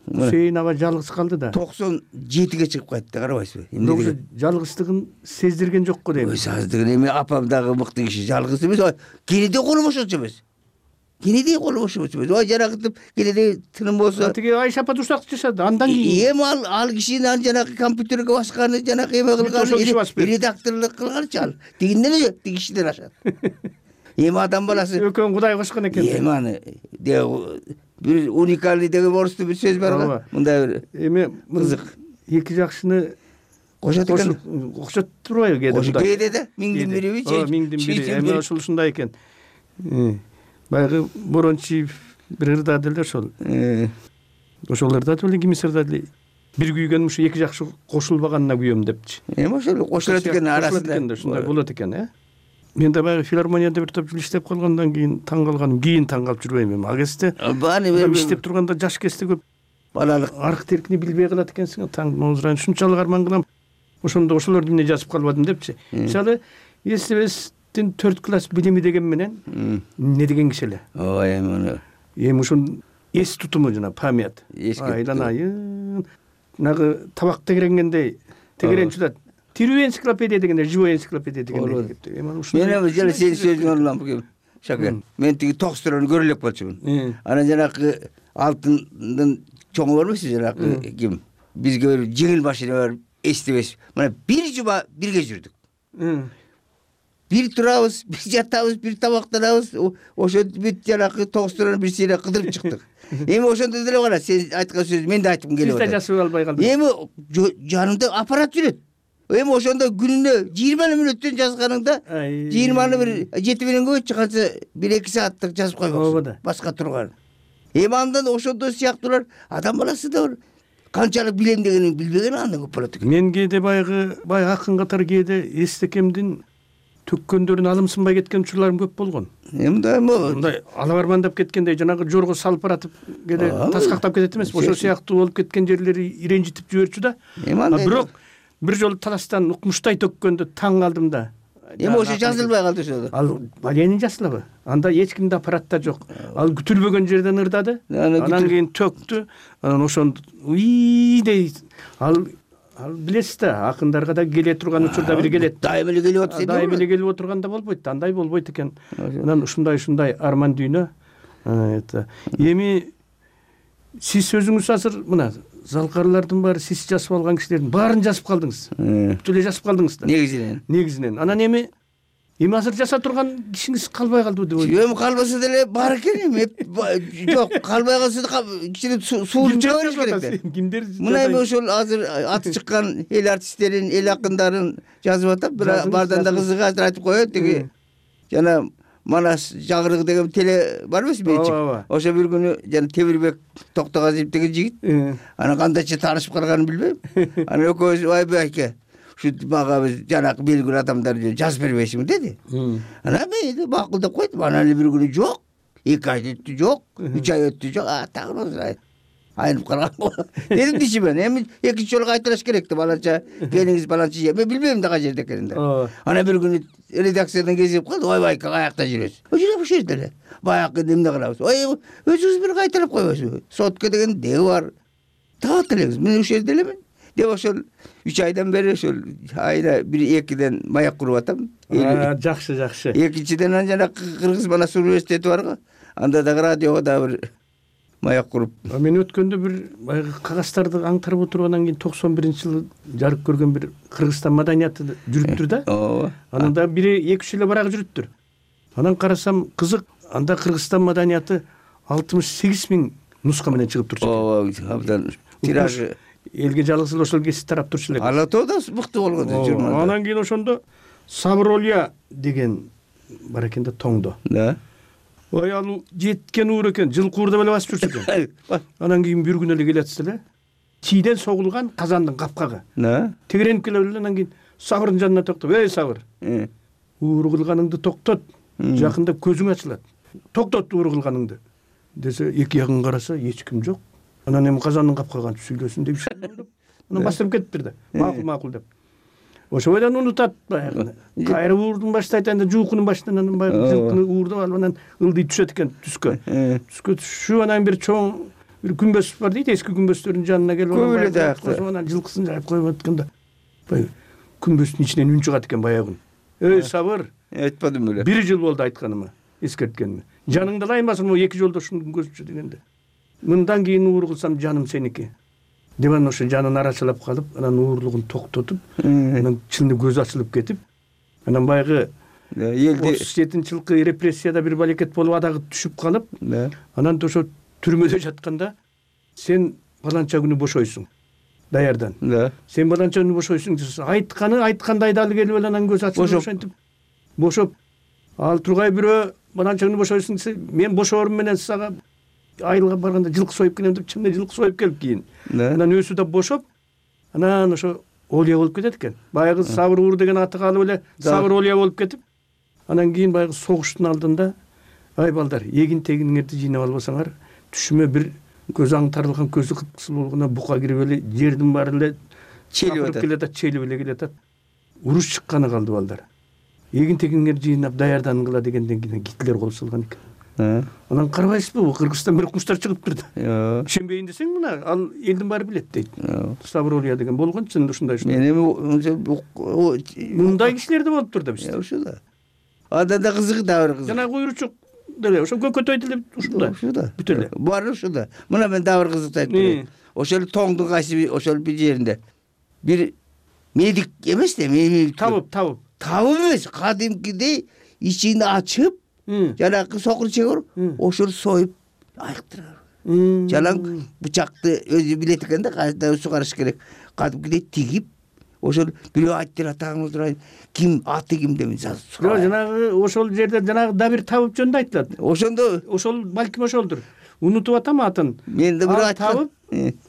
Хусейин аба жалгыз калды да. токсон жетиге чыгып кайтты, карабайсызбы? Эмне жалгыздыгын сездирген жокко дейм. Сездирген эми апам дагы мыкты киши, жалгыз эмес. Кенеде колу бошочу эмес. Кенеде колу бошочу эмес. Ой жаракытып кенеде тыным болсо. Тиги Айша апа турсак жашады. Андан кийин эми ал ал кишинин жанагы компьютерге басканы, жанагы эме кылганы, редакторлук кылганчы ал. Тигинден эле тиги кишиден ашат. Эми адам баласы экөөн Кудай кошкон экен. Эми аны бир уникальный деген орусту бир сөз бар го. Мындай бир эми кызык эки жакшыны кошот экен. Кошот турбайбы кээде? Кошот кээде да миңдин бириби же миңдин бири. Эми ошол ушундай экен. Баягы Борончиев бир ырда деле ошол. Ошолорда деле кимис ырда деле бир күйгөн ушу эки жакшы кошулбаганына күйөм депчи. Эми ошол кошулат экен арасында. Ушундай болот экен, э? Мен да баягы филармонияда бир топ жыл иштеп калгандан кийин таң калганым, кийин таң калып жүрбөйм эми. А кезде иштеп турганда жаш кезде көп балалык арк теркини билбей калат экенсиң. Таң моозурайын ушунчалык арман кылам. Ошондо ошолорду эмне жазып калбадым депчи. Мисалы, эсебестин төрт класс билими деген менен эмне деген киши эле. Ой, эми эми ушун эс тутуму жана память айланайын нагы табак тегеренгендей тегеренчү да тирүү энциклопедия дегенде живой энциклопедия дегенде мен эми жана сенин сөзүңө улам Шакен. Мен тиги токсторону көрө элек болчумун. Анан жанакы алтындын чоңу бар эмеспи жанакы ким? Бизге бир жеңил машина бар, эстебес. Мына бир жума бирге жүрдүк. Бир турабыз, бир жатабыз, бир тамактанабыз. Ошентип бүт жанакы токсторону бир сыйра кыдырып чыктык. Эми ошондо деле кара, сен айткан сөз мен да айткым келип атат. Сиз да жасып албай калдыңыз. Эми жанымда аппарат жүрөт. Эми ошондо күнүнө жыйырма мүнөттөн жазганыңда жыйырманы бир жети менен көбөйтчү канча бир эки сааттык жазып койбоксуң. Башка турган. Эми андан ошондой сыяктуулар адам баласы да бар. Канчалык билем дегенин билбеген андан көп болот экен. Мен кээде баягы баягы акын катары кээде эстекемдин төккөндөрүн алымсынбай кеткен учурларым көп болгон. Мындай мындай ала барман деп кеткенде жанагы жорго салып баратып кээде таскактап кетет эмеспи? Ошол сыяктуу болуп кеткен жерлери иренжитип жиберчү да. Бирок бир жолу таластан укмуштай төккөндө таң калдым да. Эми ошо жазылбай калды ошол. Ал балени жазылабы? Анда эч кимде аппарат да жок. Ал күтүлбөгөн жерден ырдады. Анан кийин төктү. Анан ошондо уй дей. Ал ал билесиз да, акындарга да келе турган учурда бир келет. Дайым эле келип атса, дайым эле келип отурганда болбойт. Андай болбойт экен. Анан ушундай-ушундай арман дүйнө. Это эми сиз өзүңүз азыр мына залкарлардын баары сиз жазып алган кишилердин баарын жазып калдыңыз. Бүт эле жазып калдыңыз да. Негизинен. Негизинен. Анан эми эми азыр жаса турган кишиңиз калбай калдыбы деп ойлойм. Эми калбаса деле бар экен эми. Жок, калбай калса да кичине суулуп чыга бериш керек да. Кимдер? Мына эми ошол азыр аты чыккан эл артисттерин, эл акындарын жазып атат, бирок бардан да кызыгы азыр айтып коет тиги. Жана Манас Жагырык деген теле бар эмеспи менчик? Ошо бир күнү жана Темирбек Токтогазиев деген жигит. Анан кандайча таанышып калганын билбейм. Анан экөөбүз ойбой айке, ушу мага биз жанакы белгилүү адамдар жазып бербейсиңби деди. Анан мен макул деп койдум. Анан эле бир күнү жок, эки ай өттү жок, үч ай өттү жок. А тагы айнып калган. Дедим дишимен, эми экинчи жолу кайталаш керек деп баланча келиңиз баланча же. Мен билбейм да кай жерде экенин да. Анан бир күнү редакциядан кезип калды. Ойбай, каякта жүрөсүз? Ошо ушул жерде эле. Баягы эмне кылабыз? Ой, өзүңүз бир кайталап койбойсузбу? Сотка деген деги бар. Таап элеңиз. Мен ушул жерде элемин. Деп ошол үч айдан бери ошол айына бир экиден маяк куруп атам. Жакшы, жакшы. Экинчиден анан жана Кыргыз Манас университети барго. Анда дагы радиого да бир маяк куруп. Мен өткөндө бир баягы кагаздарды аңтарып отуруп анан кийин токсон биринчи жылы жарык көргөн бир Кыргызстан маданияты жүрүптүр да. Ооба. Анан да бир эки үч эле барак жүрүптүр. Анан карасам кызык, анда Кыргызстан маданияты алтымыш сегиз миң нуска менен чыгып турчу. Ооба, абдан тиражы элге жалгыз эле ошол кесип тарап турчу элек. Ала тоодо мыкты болгон журналда. Анан кийин ошондо Сабыролия деген бар экен да тоңдо. Да. Ой, ал жеткен уур экен, жылкы уурда эле басып жүрчү экен. Анан кийин бир күн эле келатсы эле. Тийден согулган казандын капкагы. Да. Тегеренип келип эле анан кийин Сабырдын жанына токтоп, "Эй, Сабыр. Уур кылганыңды токтот. Жакында көзүң ачылат. Токтот уур кылганыңды." Десе, эки ягын караса, эч ким жок. Анан эми казандын капкаган сүйлөсүн деп ойлоп, анан бастырып кетиптир да. Макул, макул деп. Ошо бойдон унутат баягы. Кайра уурдун баштайт, анда жуукунун башынан анан баягы жылкыны уурдап алып анан ылдый түшөт экен түскө. Түскө түшүп анан бир чоң бир күмбөз бар дейт, эски күмбөздөрдүн жанына келип алып анан жылкысын жайып коюп атканда баягы күмбөздүн ичинен үн чыгат экен баягы. "Эй, Сабыр, айтпадым эле. Бир жыл болду айтканыма, эскерткениме. Жаныңда лаймасын, могу эки жолдо ушуну көзчү дегенде. Мындан кийин уур кылсам жаным сеники." Деп анан ошо жанын арачылап калып, анан уурлугун токтотуп, анан чынында көзү ачылып кетип, анан баягы отуз жетинчи жылкы репрессияда бир балекет болуп адагы түшүп калып, анан ошо түрмөдө жатканда сен баланча күнү бошойсуң. Даярдан. Сен баланча күнү бошойсуң десе, айтканы айткандай дал келип эле анан көзү ачылып ошентип бошоп, ал тургай бирөө баланча күнү бошойсуң десе, мен бошоорум менен сага айылга барганда жылкы союп келем деп чынында жылкы союп келип кийин. Анан өзү да бошоп, анан ошо Олия болуп кетет экен. Баягы Сабыр уур деген аты калып эле Сабыр Олия болуп кетип, анан кийин баягы согуштун алдында, "Ай балдар, эгин тегиңерди жыйнап албасаңар, түшүмө бир көз аңтарылган, көзү кыпкызыл болгондо бука кирип эле жердин баары эле челип келатат, челип эле келатат. Уруш чыкканы калды балдар. Эгин тегиңерди жыйнап даярдангыла" дегенден кийин Гитлер кол салган экен. анан карабайсызбы Кыргызстан бир куштар чыгыптыр да. Ишенбейин десең мына ал элдин баары билет дейт. Ставролия деген болгон чын ушундай ушундай. Мен эми мындай кишилер да болуптур да бизде. Ошо да. Андан да кызыгы да бар кызык. Жана куйручук деле ошо көкөтөй деле ушундай. Ушо да. Бүт эле. Баары ушо да. Мына мен да бир кызыкты айтып берейин. Ошол тоңдун кайсы ошол бир жеринде бир медик эмес да, медик табып, табып. Табып эмес, кадимкидей ичин ачып, жанагы сокур чегөр ошол союп айыктырар. Жалаң бычакты өзү билет экен да, кайда сугарыш керек. Кадимкидей тигип, ошол бирөө айтты атаңыз турайын, ким аты ким деп жок, жанагы ошол жерде жанагы да бир табып жөнүндө айтылат. Ошондо ошол балким ошолдур. Унутуп атам атын. Мен да бир айтып,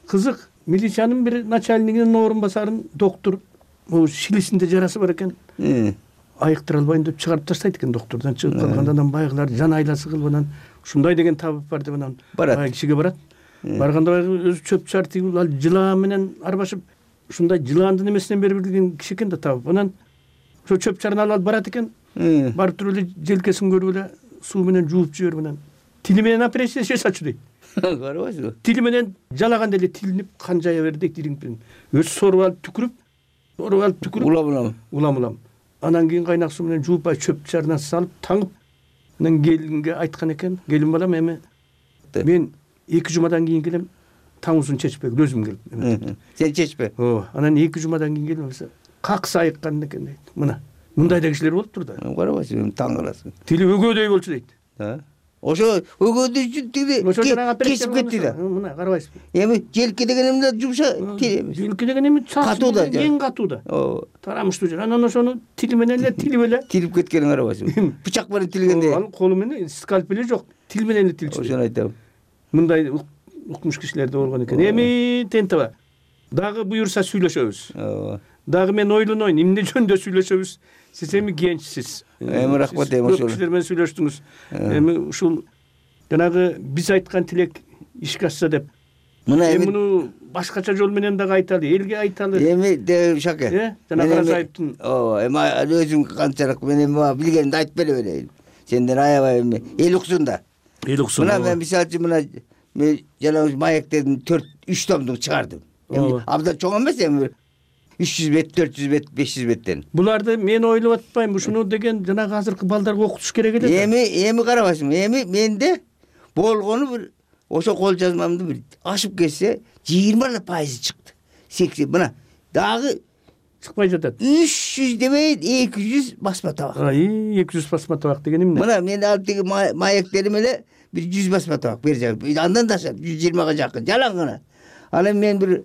кызык, милициянын бир начальнигинин орун басарын доктор могу шилисинде жарасы бар экен. Айыктыра албайм деп чыгарып таштайт экен доктордон. Чыгып калганда анан байгылар жан айласы кылып анан ушундай деген табып бар деп анан бай кишиге барат. Барганда баягы өзү чөп чар тигип ал жылаан менен арбашып ушундай жылаандын эмесинен бери билген киши экен да табып. Анан ошо чөп чарын алып барат экен. Барып туруп эле желкесин көрүп эле суу менен жууп жиберип анан тили менен операция жасачу дейт. Карабайсызбы? Тили менен жалаганда эле тилинип кан жая берди дейт ириңпен. Өзү соруп алып түкүрүп, соруп алып түкүрүп улам-улам. Улам-улам. Анан кийин кайнак суу менен жууп бай чөп чарына салып таңып анан келинге айткан экен. Келин балам эми мен эки жумадан кийин келем, таңуусун чечпегил өзүм келип. Сен чечпе. Ооба. Анан эки жумадан кийин келем десе, каксы айыккан экен дейт. Мына мындай да кишилер болуптур да. Карабайсың, таң каласың. Тили өгөөдөй болчу дейт. Ошо өгөөдөй тиги кесип кетти да. Мына карабайсызбы? Эми желке деген эмне жумша тили эмес. Желке деген эми катуу да, эң катуу да. Ооба. Тарамыштуу жер. Анан ошону тили менен эле тилип эле тилип кеткенин карабайсыңбы? Бычак менен тилгенде. Ал колу менен скальпели жок, тил менен эле тилчү. Ошону айтам. Мындай укмуш кишилер да болгон экен. Эми тентеба. Дагы буюрса сүйлөшөбүз. Ооба. Дагы мен ойлонойн, эмне жөнүндө сүйлөшөбүз? Сиз эми генчсиз. Эми рахмат эми ошол. Кишилер менен сүйлөштүңүз. Эми ушул жанагы биз айткан тилек ишке ашса деп. Мына эми муну башкача жол менен дагы айталы, элге айталы. Эми Шаке. Э, жана Карасаевдин. Ооба, эми өзүң канчалык мен эми билгенимди айтып бере берейин. Сенден аябай эми эл уксун да. Эл уксун. Мына мен мисалы үчүн мына мен жана маектердин төрт үч томдук чыгардым. Эми абдан чоң эмес эми үч жүз бет, төрт жүз бет, беш жүз беттен. Буларды мен ойлоп атпайм, ушуну деген жанагы азыркы балдарга окутуш керек эле. Эми эми карабайсыңбы? Эми менде болгону бир ошо кол жазмамды бир ашып кетсе жыйырма пайызы чыкты. сексен мына дагы чыкпай жатат. үч жүз дебейт, эки жүз басма табак. Ай, эки жүз басма табак деген эмне? Мына мен алып тиги маектерим эле бир жүз басма табак бер жагы. Андан да ашат, жүз жыйырмага жакын. Жалаң гана. Ал эми мен бир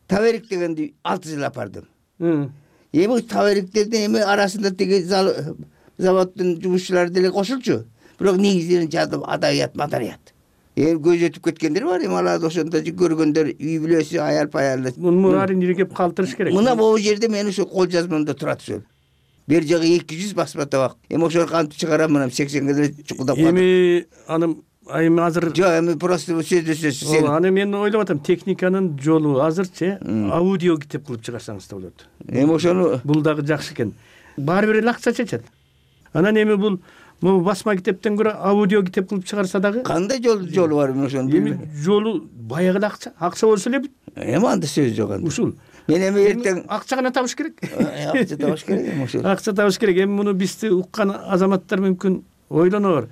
таберик дегенди алты жыл апардым. Эми табериктердин эми арасында тиги заводдун жумушчулары деле кошулчу. Бирок негизинен жадып адайят, мадарият. Эми көз өтүп кеткендер бар, эми аларды ошондо көргөндөр үй бүлөсү, аял паялы. Муну баарын иргеп калтырыш керек. Мына могу жерде мен ошо кол жазмамда турат ошол. Бер жагы эки жүз басма табак. Эми ошону кантип чыгарам, мына сексенге деле чукулдап калдым. Эми анын эми азыр жок, эми просто сөздө сөз. Ооба, аны мен ойлоп атам, техниканын жолу азырчы аудио китеп кылып чыгарсаңыз да болот. Эми ошону бул дагы жакшы экен. Баары бир эле акча чечет. Анан эми бул могу басма китептен көрө аудио китеп кылып чыгарса дагы кандай жол жолу бар эми ошону? Эми жолу баягы эле акча, акча болсо эле бүт. Эми анда сөз жок анда. Ушул. Мен эми эртең акча гана табыш керек. Акча табыш керек эми ошол. Акча табыш керек. Эми муну бизди уккан азаматтар мүмкүн ойлонор.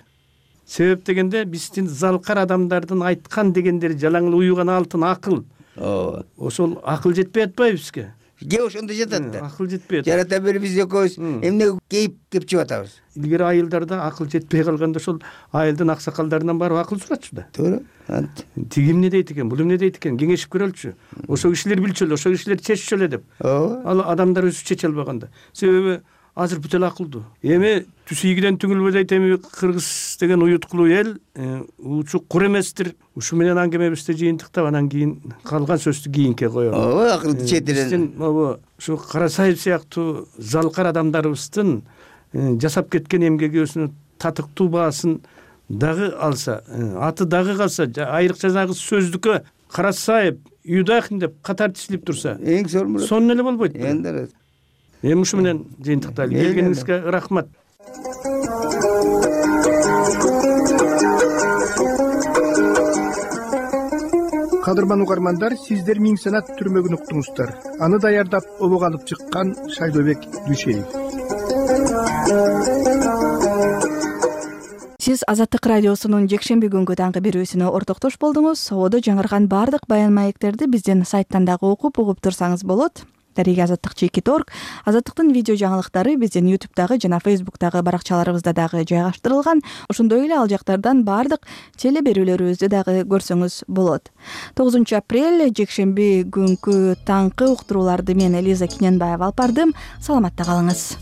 Себеп дегенде биздин залкар адамдардын айткан дегендери жалаң эле уюган алтын акыл. Ооба. Ошол акыл жетпей атпайбы бизге? Ге ошондо жатат да. Акыл жетпей атат. Жарата бери биз экөөбүз эмне кейип кепчип атабыз. Илгери айылдарда акыл жетпей калганда ошол айылдын аксакалдарынан барып акыл сурачу да. Туура. Тиги эмне дейт экен, бул эмне дейт экен, кеңешип көрөлчү. Ошо кишилер билчү эле, ошо кишилер чеччү эле деп. Ооба. Ал адамдар өзү чече албаганда. Себеби азыр бүт эле акылдуу. Эми түз ийгиден түңүлбөй дейт, эми кыргыз деген уюткулуу эл учук кур эместир. Ушу менен аңгемебизди жыйынтыктап анан кийин калган сөздү кийинке коелу. Ооба, акылды четирен. Биздин могу ушу Карасаев сыяктуу залкар адамдарыбыздын жасап кеткен эмгеги өзүнүн татыктуу баасын дагы алса, аты дагы калса, айрыкча жанагы сөздүккө Карасаев, Юдахин деп катар тизилип турса, эң сонун сонун эле болбойт. Эми Эми ушу менен жыйынтыктайлы. Келгениңизге рахмат. Кадырман угармандар, сиздер миң санат түрмөгүн уктуңуздар. Аны даярдап обого алып чыккан Шайдобек Дүйшеев. Сиз Азаттык радиосунун жекшемби күнгү таңкы берүүсүнө ортоктош болдуңуз. Ободо жаңырган баардык баян маектерди биздин сайттан дагы окуп угуп турсаңыз болот. Дареги азаттык чекит точка орг. Азаттыктын видео жаңылыктары биздин ютубтагы жана фейсбуктагы баракчаларыбызда дагы жайгаштырылган. Ошондой эле ал жактардан баардык теле берүүлөрүбүздү дагы көрсөңүз болот. тогузунчу апрель жекшемби күнгү таңкы уктурууларды мен Элиза Киненбаева алып бардым. Саламатта калыңыз.